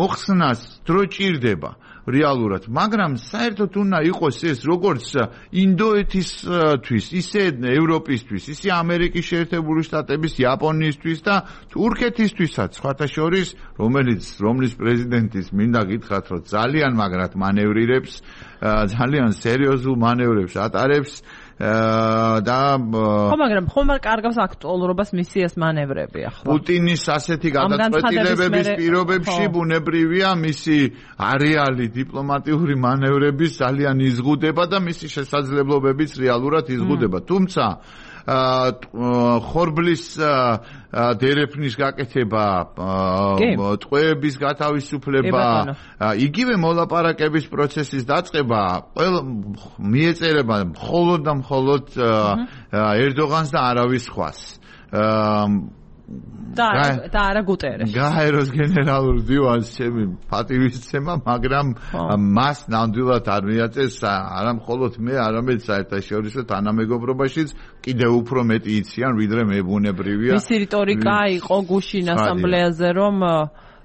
მოხსნას დრო ჭირდება რეალურად, მაგრამ საერთოდ უნდა იყოს ეს როგორც ინდოეთისთვის, ისე ევროპისთვის, ისე ამერიკის შეერთებული შტატების, იაპონიისთვის და თურქეთისთვისაც, სხვათა შორის, რომელიც რომლის პრეზიდენტის მინდა გითხრათ, რომ ძალიან მაგრად მანევრირებს, ძალიან სერიოზულ მანევრებს ატარებს და ხო, მაგრამ ხომ არ კარგავს აქტუალურობას მისიას მანევრები ახლა. პუტინის ასეთი გადაწყვეტილებების პირობებში ბუნებრივია მისი არეალი დიპლომატიური მანევრების ძალიან იზღუდება და მისი შესაძლებლობებიც რეალურად იზღუდება. თუმცა ხორბლის დერეფნის გაკეთება, ტყვეების გათავისუფლება, იგივე მოლაპარაკების პროცესის დაწყება მიეწერება მხოლოდ და მხოლოდ ერდოღანს და არავის სხვას. და და არა გუტერეშს. გაეროს გენერალურ დივანს ჩემი პატივისცემა, მაგრამ მას ნამდვილად არ მიაწეს არა მხოლოდ მე, არამედ საერთაშორისო თანამეგობრობაშიც კიდევ უფრო მეტი იციან, ვიდრე მე ბუნებრივია. მისი რიტორიკა იყო გუშინ ასამბლეაზე, რომ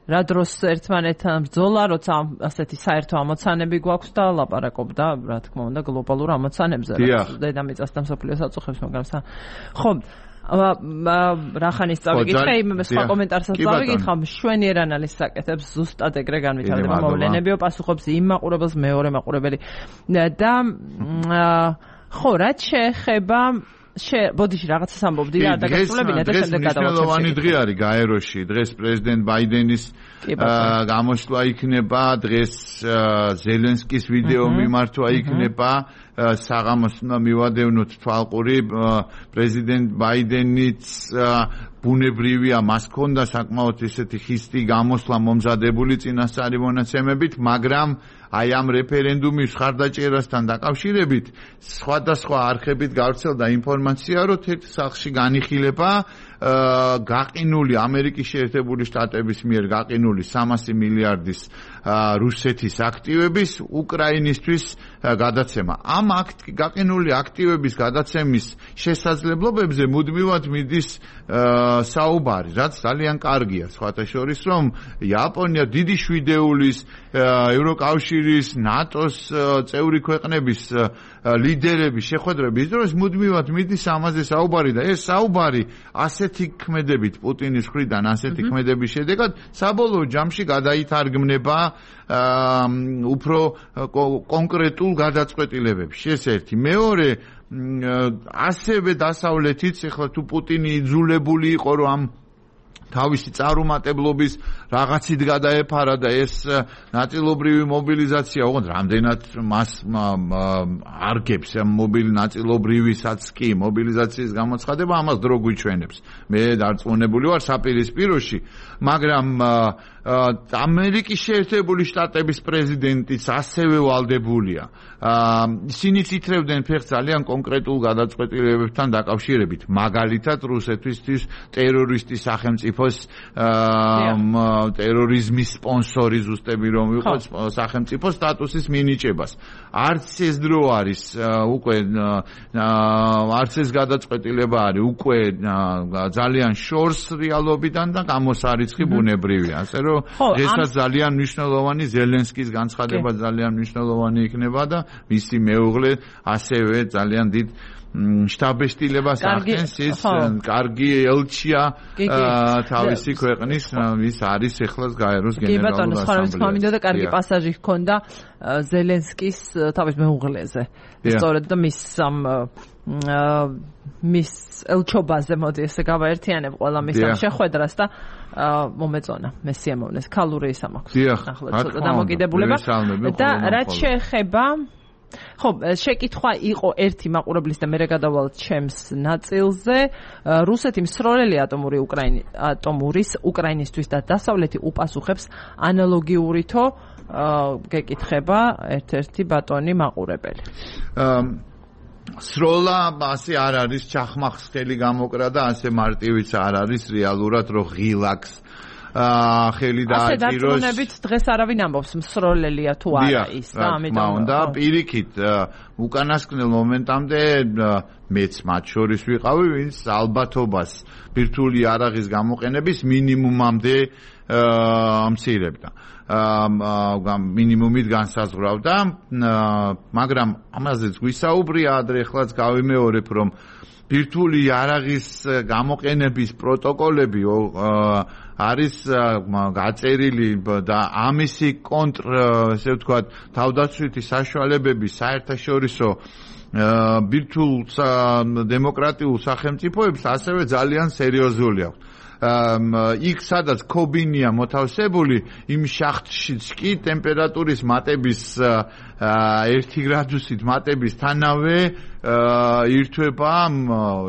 რა დროს ერთმანეთთან ბრძოლა, როცა ასეთი საერთო ამოცანები გვაქვს და ლაპარაკობდა, რა თქმა უნდა, გლობალურ ამოცანებზე, რაც დედამიწას და მსოფლიოს აწუხებს, მაგრამ ხო რახანის წავიკითხე, იმ სხვა კომენტარსაც წავიკითხე, მშვენიერ ანალიზს აკეთებს, ზუსტად ეგრე განვითარდება მოვლენებიო, პასუხობს იმ მაყურებელს მეორე მაყურებელი და ხო, რაც შეეხება ბოდიში რაღაცას ამბობდი და დაგასრულებინა და შემდეგ გადავაჩერდით. დღეს მნიშვნელოვანი დღე არის გაეროში. დღეს პრეზიდენტ ბაიდენის გამოსვლა იქნება, დღეს ზელენსკის ვიდეო მიმართვა იქნება. საღამოს უნდა მივადევნოთ თვალყური პრეზიდენტ ბაიდენიც ბუნებრივია, მას ჰქონდა საკმაოდ ისეთი ხისტი გამოსვლა მომზადებული წინასწარი მონაცემებით, მაგრამ აი ამ რეფერენდუმის ხარდაჭერასთან დაკავშირებით სხვადასხვა არხებით გავრცელდა ინფორმაცია, რომ თეთრ სახლში განიხილება გაყინული ამერიკის შეერთებული შტატების მიერ გაყინული სამასი მილიარდის რუსეთის აქტივების უკრაინისთვის გადაცემა. ამ გაყინული აქტივების გადაცემის შესაძლებლობებზე მუდმივად მიდის საუბარი, რაც ძალიან კარგია. სხვათა შორის, რომ იაპონია დიდი შვიდეულის, ევროკავშირის, ნატოს წევრი ქვეყნების ლიდერების შეხვედრების დროს მუდმივად მიდის ამაზე საუბარი და ეს საუბარი ასეთი ქმედებით პუტინის მხრიდან, ასეთი ქმედების შედეგად საბოლოო ჯამში გადაითარგმნება უფრო კონკრეტულ გადაწყვეტილებებში. ეს ერთი. მეორე, ასევე დასავლეთიც, ეხლა თუ პუტინი იძულებული იყო, რომ ამ თავისი წარუმატებლობის რაღაცით გადაეფარა და ეს ნაწილობრივი მობილიზაცია, ოღონდ რამდენად მას არგებს მობილი ნაწილობრივისაც კი მობილიზაციის გამოცხადება, ამას დრო გვიჩვენებს. მე დარწმუნებული ვარ საპირისპიროში, მაგრამ ამერიკის შეერთებული შტატების პრეზიდენტიც ასევე ვალდებულია. ისინი ითრევდნენ ფეხს ძალიან კონკრეტულ გადაწყვეტილებებთან დაკავშირებით, მაგალითად რუსეთისთვის ტერორისტის სახელმწიფოს ტერორიზმის სპონსორი ზუსტები რომ იყოს სახელმწიფო სტატუსის მინიჭებას. არც ეს დრო არის უკვე არც ეს გადაწყვეტილება არის უკვე ძალიან შორს რეალობიდან და გამოსარიცხი ბუნებრივია. ასე რომ დღესაც ძალიან მნიშვნელოვანი ზელენსკის განცხადება ძალიან მნიშვნელოვანი იქნება და მისი მეუღლე ასევე ძალიან დიდ შტაბეშტილებას ახდენს. ის კარგი ელჩია თავისი ქვეყნის, ის არის ეხლა გაეროს გენერალური ასამბლეა. და კარგი პასაჟი ჰქონდა ზელენსკის თავის მეუღლეზე. სწორედ და მის ამ მის ელჩობაზე მოდი ესე გავაერთიანებ ყველა მის ამ შეხვედრას და მომეწონა მე სიამოვნეს ქალური ისა მაქვს. ახლა ცოტა დამოკიდებულება და რაც შეეხება ხო, შეკითხვა იყო ერთი მაყურებლის და მერე გადავალთ ჩემს ნაწილზე. რუსეთი მსროლელი ატომური უკრაინი ატომურის უკრაინისთვის და დასავლეთი უპასუხებს ანალოგიურითო გეკითხება ერთ-ერთი ბატონი მაყურებელი. სროლა ასე არ არის ჩახმახს ხელი გამოკრა და ასე მარტივიც არ არის რეალურად რო ღილაკს ხელი დააჭიროს. ასე დარწმუნებით დღეს არავინ ამბობს მსროლელია თუ არა ის და ამიტომ და პირიქით უკანასკნელ მომენტამდე მეც მათ შორის ვიყავი ვინც ალბათობას ბირთვული იარაღის გამოყენების მინიმუმამდე ამცირებდა. მინიმუმით განსაზღვრავდა, მაგრამ ამაზეც გვისაუბრია ადრე ხლაც გავიმეორებ, რომ ბირთვული იარაღის გამოყენების პროტოკოლები არის გაწერილი და ამისი კონტრ, ესე ვთქვათ, თავდაცვითი საშუალებები საერთაშორისო ბირთვულ დემოკრატიულ სახელმწიფოებს ასევე ძალიან სერიოზული აქვს. იქ სადაც კობინია მოთავსებული იმ შახტშიც კი ტემპერატურის მატების ერთი გრადუსით მატების თანავე ირთვება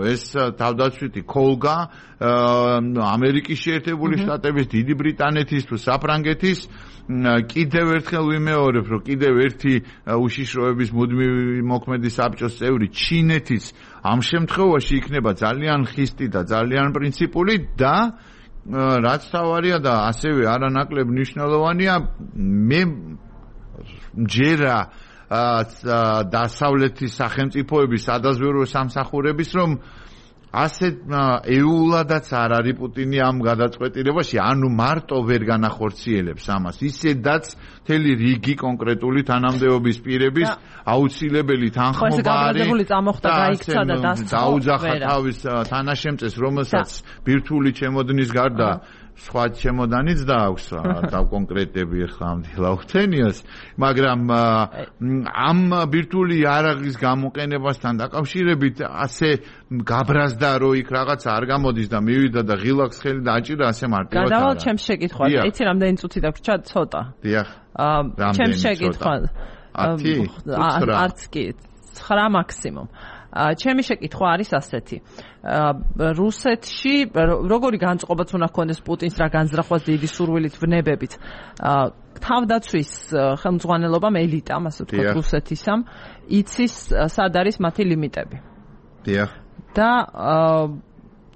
ეს თავდაცვითი კოლგა ამერიკის შეერთებული შტატების, დიდი ბრიტანეთის თუ საფრანგეთის კიდევ ერთხელ ვიმეორებ, რომ კიდევ ერთი უშიშროების მუდმივი მოქმედი საბჭოს წევრი ჩინეთის ამ შემთხვევაში იქნება ძალიან ხისტი და ძალიან პრინციპული და რაც თავარია და ასევე არანაკლებ მნიშვნელოვანია, მე მჯერა დასავლეთის სახელმწიფოების სადაზვერვო სამსახურების, რომ ასე ეულადაც არ არის პუტინი ამ გადაწყვეტილებაში, ანუ მარტო ვერ განახორციელებს ამას, ისედაც მთელი რიგი კონკრეტული თანამდებობის პირების აუცილებელი თანხმობარი დაუძახა თავის თანაშემწეს, რომელსაც ბირთვული ჩემოდნის გარდა სხვა ჩემოდანიც დააქვს დავკონკრეტები ახლა ამ დილაუთენიას, მაგრამ ამ ბირთვული იარაღის გამოყენებასთან დაკავშირებით ასე გაბრაზდა, რომ იქ რაღაცა არ გამოდის და მივიდა და ღილაკს ხელი დააჭირა, ასე მარტივად არა. გადავალ ჩემს შეკითხვას. იცი რამდენი წუთი დაგვრჩა? ცოტა. დიახ. ჩემს შეკითხვას. არც კი ცხრა მაქსიმუმ. ჩემი შეკითხვა არის ასეთი. რუსეთში როგორი განწყობაც უნდა ჰქონდეს პუტინს რა განზრახვას დიდი სურვილით ვნებებით. თავდაცვის ხელმძღვანელობამ ელიტამ, ასე ვთქვათ, რუსეთისამ იცის სად არის მათი ლიმიტები. დიახ. და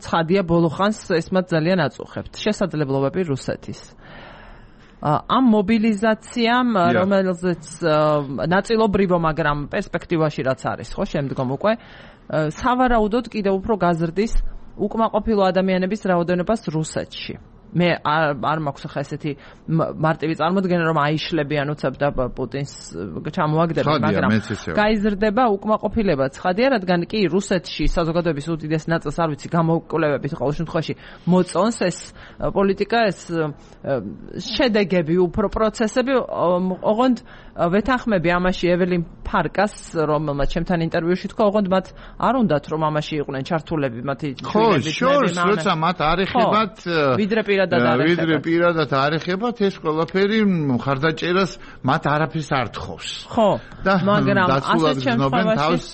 ცხადია ბოლო ხანს ეს მათ ძალიან აწუხებთ. შესაძლებლობები რუსეთის. ამ მობილიზაციამ, რომელზეც ნაწილობრივო, მაგრამ პერსპექტივაში რაც არის, ხო, შემდგომ უკვე სავარაუდოდ კიდევ უფრო გაზრდის უკმაყოფილო ადამიანების რაოდენობას რუსეთში. მე არ მაქვს ახლა ესეთი მარტივი წარმოდგენა, რომ აიშლებიან უცებ და პუტინს ჩამოაგდებენ, მაგრამ გაიზრდება უკმაყოფილება. ცხადია, რადგან კი რუსეთში საზოგადოების უდიდეს ნაწილს არ ვიცი გამოკვლევებით ყოველ შემთხვევაში მოწონს ეს პოლიტიკა, ეს შედეგები, უფრო პროცესები, ოღონდ ვეთანხმები ამაში ეველინ ფარკას, რომელმაც ჩემთან ინტერვიუში თქვა, ოღონდ მათ არ უნდათ რომ ამაში იყვნენ ჩართულები მათი შვილები. ხო, შორს, როცა მათ არ ეხებათ ვიდრე პირადად არ ეხებათ. ვიდრე პირადად არ ეხებათ, ეს ყველაფერი მხარდაჭერას მათ არაფერს არ თხოვს. ხო, მაგრამ ასეთ შემთხვევაში თავს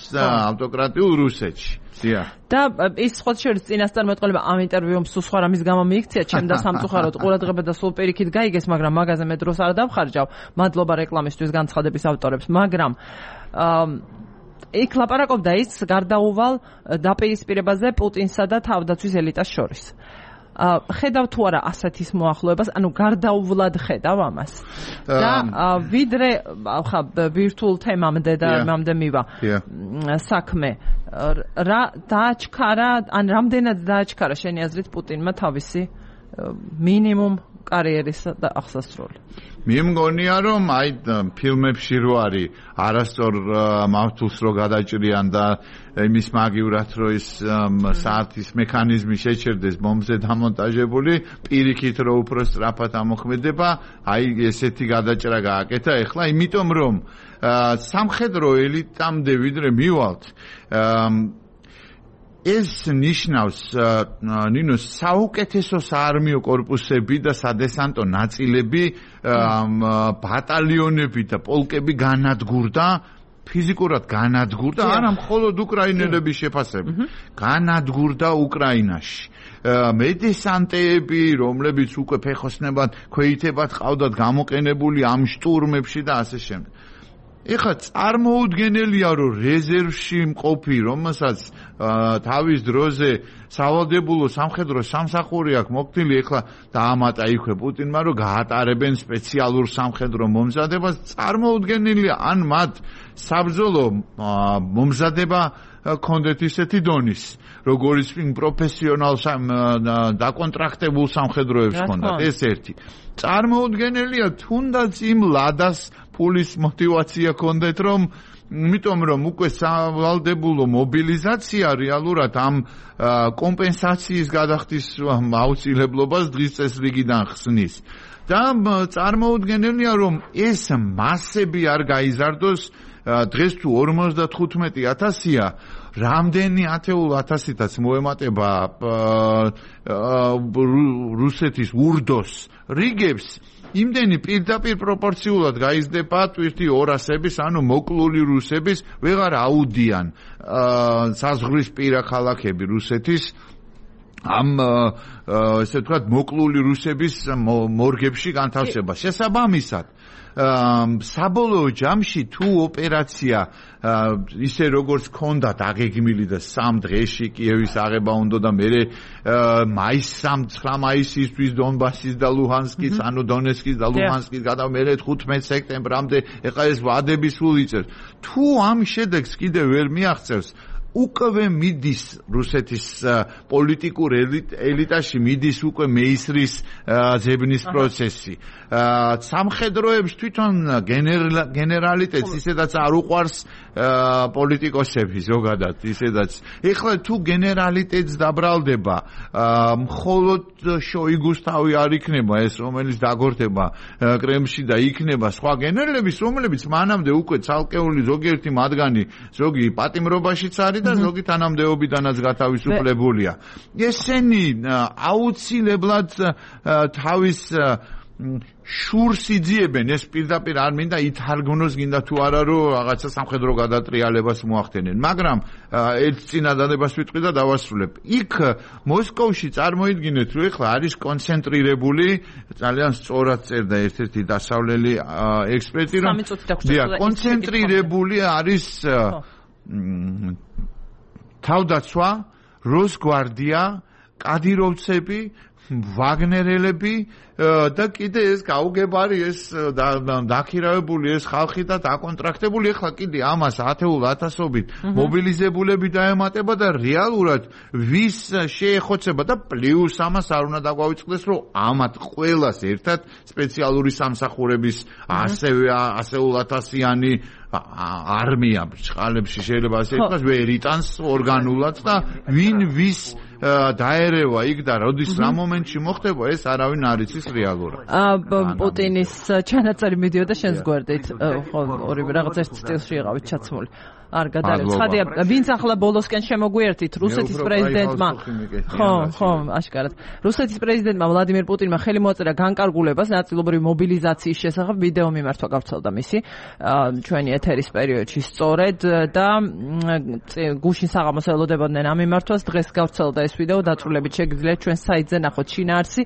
ავტოკრატიულ რუსეთში. და ის სხვა შორის წინასწარ მეტყოლება ამ ინტერვიუმ სულ სხვა რამის გამო მიიქცია, ჩემ და სამწუხაროდ ყურადღება და სულ პირიქით გაიგეს, მაგრამ მაგაზე მე დროს არ დავხარჯავ. მადლობა რეკლამისთვის განცხადების ავტორებს, მაგრამ იქ ლაპარაკობდა ის გარდაუვალ დაპირისპირებაზე პუტინსა და თავდაცვის ელიტას შორის. ხედავ თუ არა ასეთის მოახლოებას, ანუ გარდაუვლად ხედავ ამას. და ვიდრე ხა ვირტუალ თემამდე და ამამდე მივა საქმე, რა დააჩქარა, ან რამდენად დააჩქარა შენი აზრით პუტინმა თავისი მინიმუმ კარიერის და აღსასრული? მე მგონია, რომ აი ფილმებში რო არის არასწორ მართულს რო გადაჭრიან და იმის მაგივრად რო ის საათის მექანიზმი შეჩერდეს ბომბზე დამონტაჟებული, პირიქით რო უფრო სწრაფად ამოქმედება, აი ესეთი გადაჭრა გააკეთა ეხლა, იმიტომ რომ სამხედრო ელიტამდე ვიდრე მივალთ, ეს ნიშნავს ნინო საუკეთესო საარმიო კორპუსები და სადესანტო ნაწილები, ბატალიონები და პოლკები განადგურდა ფიზიკურად განადგურდა, არა მხოლოდ უკრაინელების შეფასებით, განადგურდა უკრაინაში. მედესანტეები, რომლებიც უკვე ფეხოსნებად, ქვეითებად ყავდათ გამოყენებული ამ შტურმებში და ასე შემდეგ. ეხლა წარმოუდგენელია, რომ რეზერვში მყოფი, რომელსაც თავის დროზე სავალდებულო სამხედრო სამსახური აქვს მოქმედილი, ეხლა დაამატა იქვე პუტინმა, რომ გაატარებენ სპეციალურ სამხედრო მომზადებას, წარმოუდგენელია, ან მათ საბრძოლო მომზადება კონდეთ ისეთი დონის, როგორც პროფესიონალ დაკონტრაქტებულ სამხედროებს ჰქონდათ, ეს ერთი. წარმოუდგენელია, თუნდაც იმ ლადას ფულის мотиваცია კონდეთ, რომ იმიტომ რომ უკვე სავალდებულო მობილიზაცია რეალურად ამ კომპენსაციის გადახდის აუცილებლობას დღის წესრიგიდან ხსნის. და წარმოუდგენელია, რომ ეს მასები არ გაიზარდოს, დღეს თუ ორმოცდათხუთმეტი ათასია, რამდენი ათეულ ათასითაც მოემატება რუსეთის ურდოს რიგებს, იმდენი პირდაპირ პროპორციულად გაიზრდება ტვირთი ორასების, ანუ მოკლული რუსების, ვეღარ აუდიან საზღვრისპირა ქალაქები რუსეთის ამ ესე ვთქვათ მოკლული რუსების მორგებში განთავსება. შესაბამისად, საბოლოო ჯამში თუ ოპერაცია ისე როგორც ჰქონდათ აგეგმილი და სამ დღეში კიევის აღება უნდა და მერე მაის სამცხრა მაისისთვის დონბასის და ლუჰანსკის, ანუ დონეცკის და ლუჰანსკის გადა მერე თხუთმეტ სექტემბრამდე, ეხლა ეს ვადები სულ იწერს. თუ ამ შედეგს კიდევ ვერ მიაღწევს, უკვე მიდის რუსეთის პოლიტიკურ ელიტაში მიდის უკვე მეისრის ძებნის პროცესი. სამხედროებს თვითონ გენერალიტეტს ისედაც არ უყვარს პოლიტიკოსები ზოგადად ისედაც. ეხლა თუ გენერალიტეტს დაბრალდება, მხოლოდ შოიგუს თავი არ იქნება ეს, რომელიც დაგორდება კრემლში და იქნება სხვა გენერლების, რომლებიც მანამდე უკვე ცალკეული ზოგიერთი მათგანი ზოგი პატიმრობაშიც არის და ზოგი თანამდებობიდანაც გათავისუფლებულია. ესენი აუცილებლად თავის შურს იძიებენ, ეს პირდაპირ არ მინდა ითარგმნოს, გინდა თუ არა, რომ რაღაცა სამხედრო გადატრიალებას მოახდენენ, მაგრამ ერთ წინადადებას ვიტყვი და დავასრულებ. იქ მოსკოვში წარმოიდგინეთ, რომ ეხლა არის კონცენტრირებული, ძალიან სწორად წერდა ერთ-ერთი დასავლელი ექსპერტი, რომ კონცენტრირებული არის თავდაცვა, როსგვარდია, კადიროვცები, ვაგნერელები და კიდე ეს გაუგებარი ეს დაქირავებული ეს ხალხი და დაკონტრაქტებული, ეხლა კიდე ამას ათეულ ათასობით მობილიზებულები დაემატება და რეალურად ვის შეეხოცება და პლუს ამას არ უნდა დაგვავიწყდეს, რომ ამათ ყველას ერთად სპეციალური სამსახურების ასევე ასეულ ათასიანი არმია ბრჭყალებში შეიძლება ასე ითქვას, ვერ იტანს ორგანულად და ვინ ვის დაერევა იქ და როდის რა მომენტში მოხდება, ეს არავინ არ იცის რეალურად. პუტინის ჩანაწერი მიდიოდა შენს გვერდით, ხო, ორივე რაღაც ერთ სტილში იყავით ჩაცმული. არ გადარევ. ცხადია, ვინც ახლა ბოლოსკენ შემოგვიერთით რუსეთის პრეზიდენტმა. ხო, ხო, აშკარად. რუსეთის პრეზიდენტმა ვლადიმირ პუტინმა ხელი მოაწერა განკარგულებას ნაწილობრივი მობილიზაციის შესახებ, ვიდეო მიმართვა გავრცელდა მისი ჩვენი ეთერის პერიოდში სწორედ და გუშინ საღამოს ელოდებოდნენ ამ მიმართვას, დღეს გავრცელდა ეს ვიდეო, დაწვრილებით შეგიძლიათ ჩვენ საიტზე ნახოთ შინაარსი.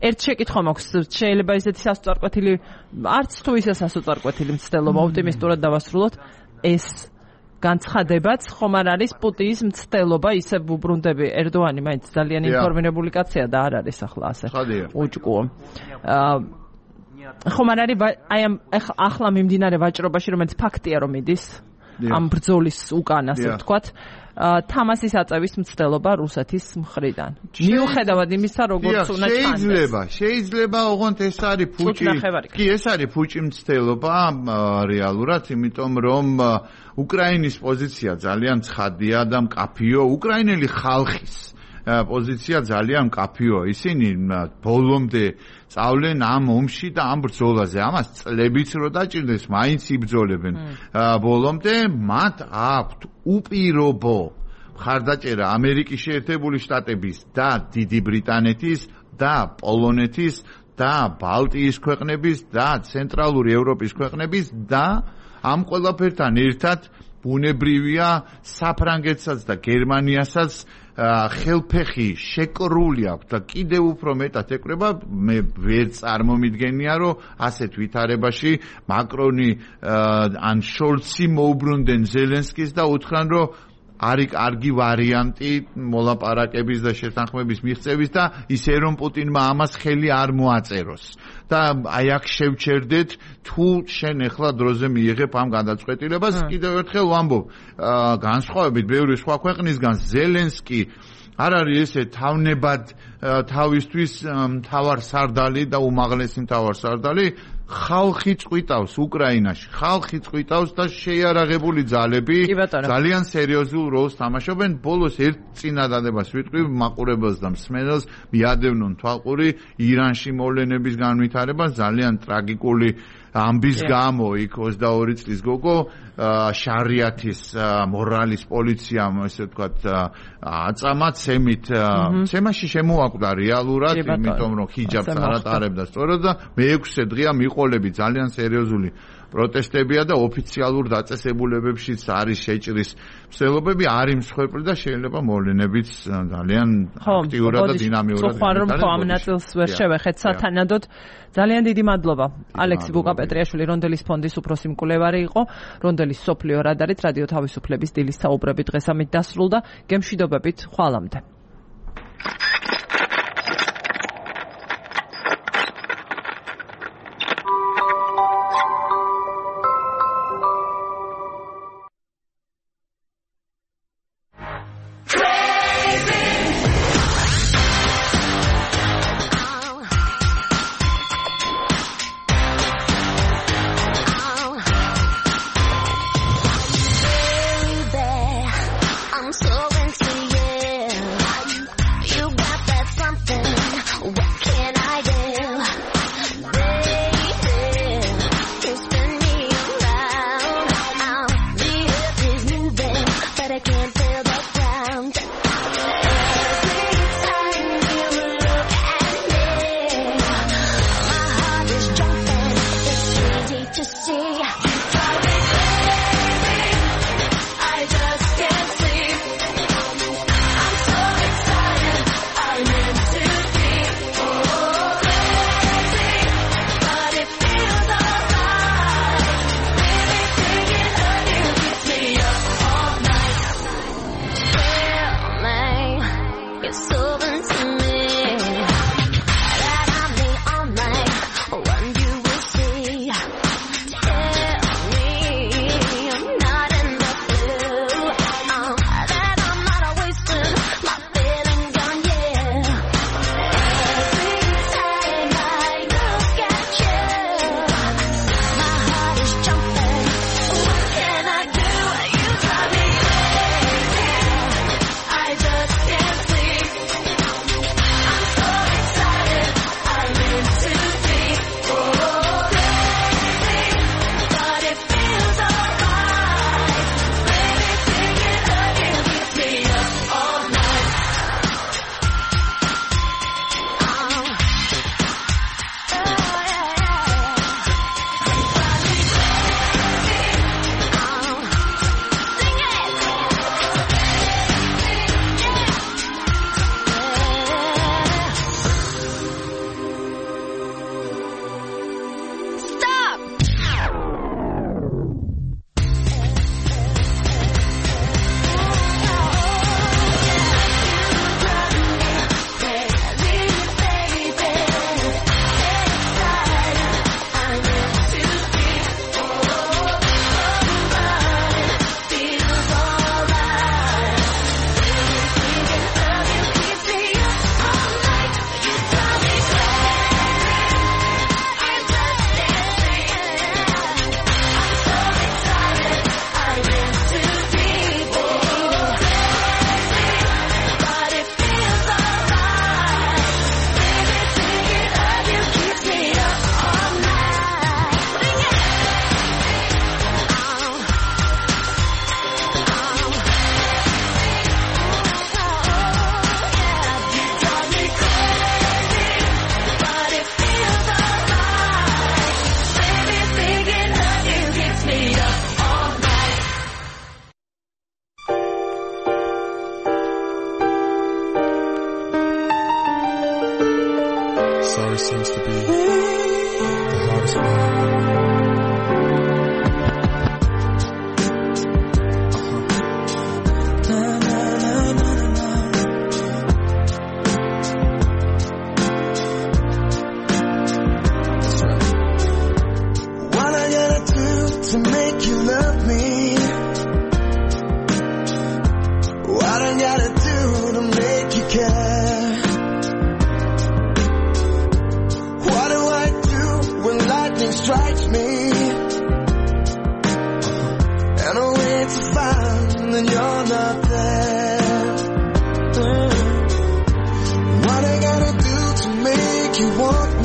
ერთ შეკითხვა მაქვს, შეიძლება ისეთი სასწორკვეთილი, არც თუ ისე სასწორკვეთილი მცდელობა, ოპტიმისტურად დავასრულოთ, ეს განცხადებაც ხომ არ არის პუტინის მცდელობა, ისე ვუბრუნდები, ერდოანი მაინც ძალიან ინფორმირებული კაცია და არ არის ახლა ასე უჭკუო. ხომ არ არის აი ამ ახლა მიმდინარე ვაჭრობაში, რომელიც ფაქტია რომ მიდის ამ ბრძოლის უკან, ასე ვთქვათ, თამასის აწევის მცდელობა რუსეთის მხრიდან. მიუხედავად იმისა, როგორც უნდა ჩანდეს. შეიძლება, შეიძლება ოღონდ ეს არის ფუჭი. კი, ეს არის ფუჭი მცდელობა რეალურად, იმიტომ რომ უკრაინის პოზიცია ძალიან ცხადია და მკაფიო, უკრაინელი ხალხის პოზიცია ძალიან მკაფიო. ისინი ბოლომდე წავლენ ამ ომში და ამ ბრძოლაზე. ამას წლებიც რო დაჭირდეს, მაინც იბრძოლებენ. ბოლომდე მათ აქვთ უპირობო მხარდაჭერა ამერიკის შეერთებული შტატების და დიდი ბრიტანეთის და პოლონეთის და ბალტიის ქვეყნების და ცენტრალური ევროპის ქვეყნების და ამ ყველაფერთან ერთად ბუნებრივია საფრანგეთსაც და გერმანიასაც ხელფეხი შეკრული აქვს და კიდევ უფრო მეტად ეკრება მე ვერ წარმომიდგენია რომ ასეთ ვითარებაში მაკრონი ან შოლცი მოუბრუნდნენ ზელენსკის და უთხრან რომ არის კარგი ვარიანტი მოლაპარაკების და შეთანხმების მიღწევის და ისე რომ პუტინმა ამას ხელი არ მოაწეროს და აი აქ შევჩერდეთ თუ შენ ახლა დროზე მიიღებ ამ გადაწყვეტილებას კიდევ ერთხელ ვამბობ განსხვავებით ბევრი სხვა ქვეყნისგან ზელენსკი არ არის ესე თავნებად თავისთვის მთავარსარდალი და უმაღლესი მთავარსარდალი ხალხი წვიტავს უკრაინაში ხალხი წვიტავს და შეიარაღებული ძალები ძალიან სერიოზულ როლს თამაშობენ ბოლოს ერთ წინადადებას ვიტყვი მაყურებელს და მსმენელს მიადევნონ თვალყური ირანში მოვლენების განვითარებას ძალიან ტრაგიკული ამბის გამო იქ ოცდაორი წლის გოგო შარიათის მორალის პოლიციამ ესე ვთქვათ აწამა ცემით ცემაში შემოაკვდა რეალურად იმიტომ რომ ჰიჯაბს არ ატარებდა სწორად და მეექვსე დღეა მიყოლები ძალიან სერიოზული პროტესტებია და ოფიციალურ დაწესებულებებშიც არის შეჭრის მსვლელობები არის მსხვერპლი და შეიძლება მოვლენებიც ძალიან აქტიურად და დინამიურად ხო ხო ამ ნაწილს ვერ შევეხეთ სათანადოდ ძალიან დიდი მადლობა ალექსი ბუკაპეტრიაშვილი რონდელის ფონდის უფროსი მკვლევარი იყო რონდელის სოფლიო რადარით რადიო თავისუფლების დილის საუბრები დღეს ამით დასრულდა გემშვიდობებით ხვალამდე Sorry seems to be the hardest one. To make you love me, what I gotta do to make you care? What do I do when lightning strikes me and I wait to find that you're not there? What I gotta do to make you want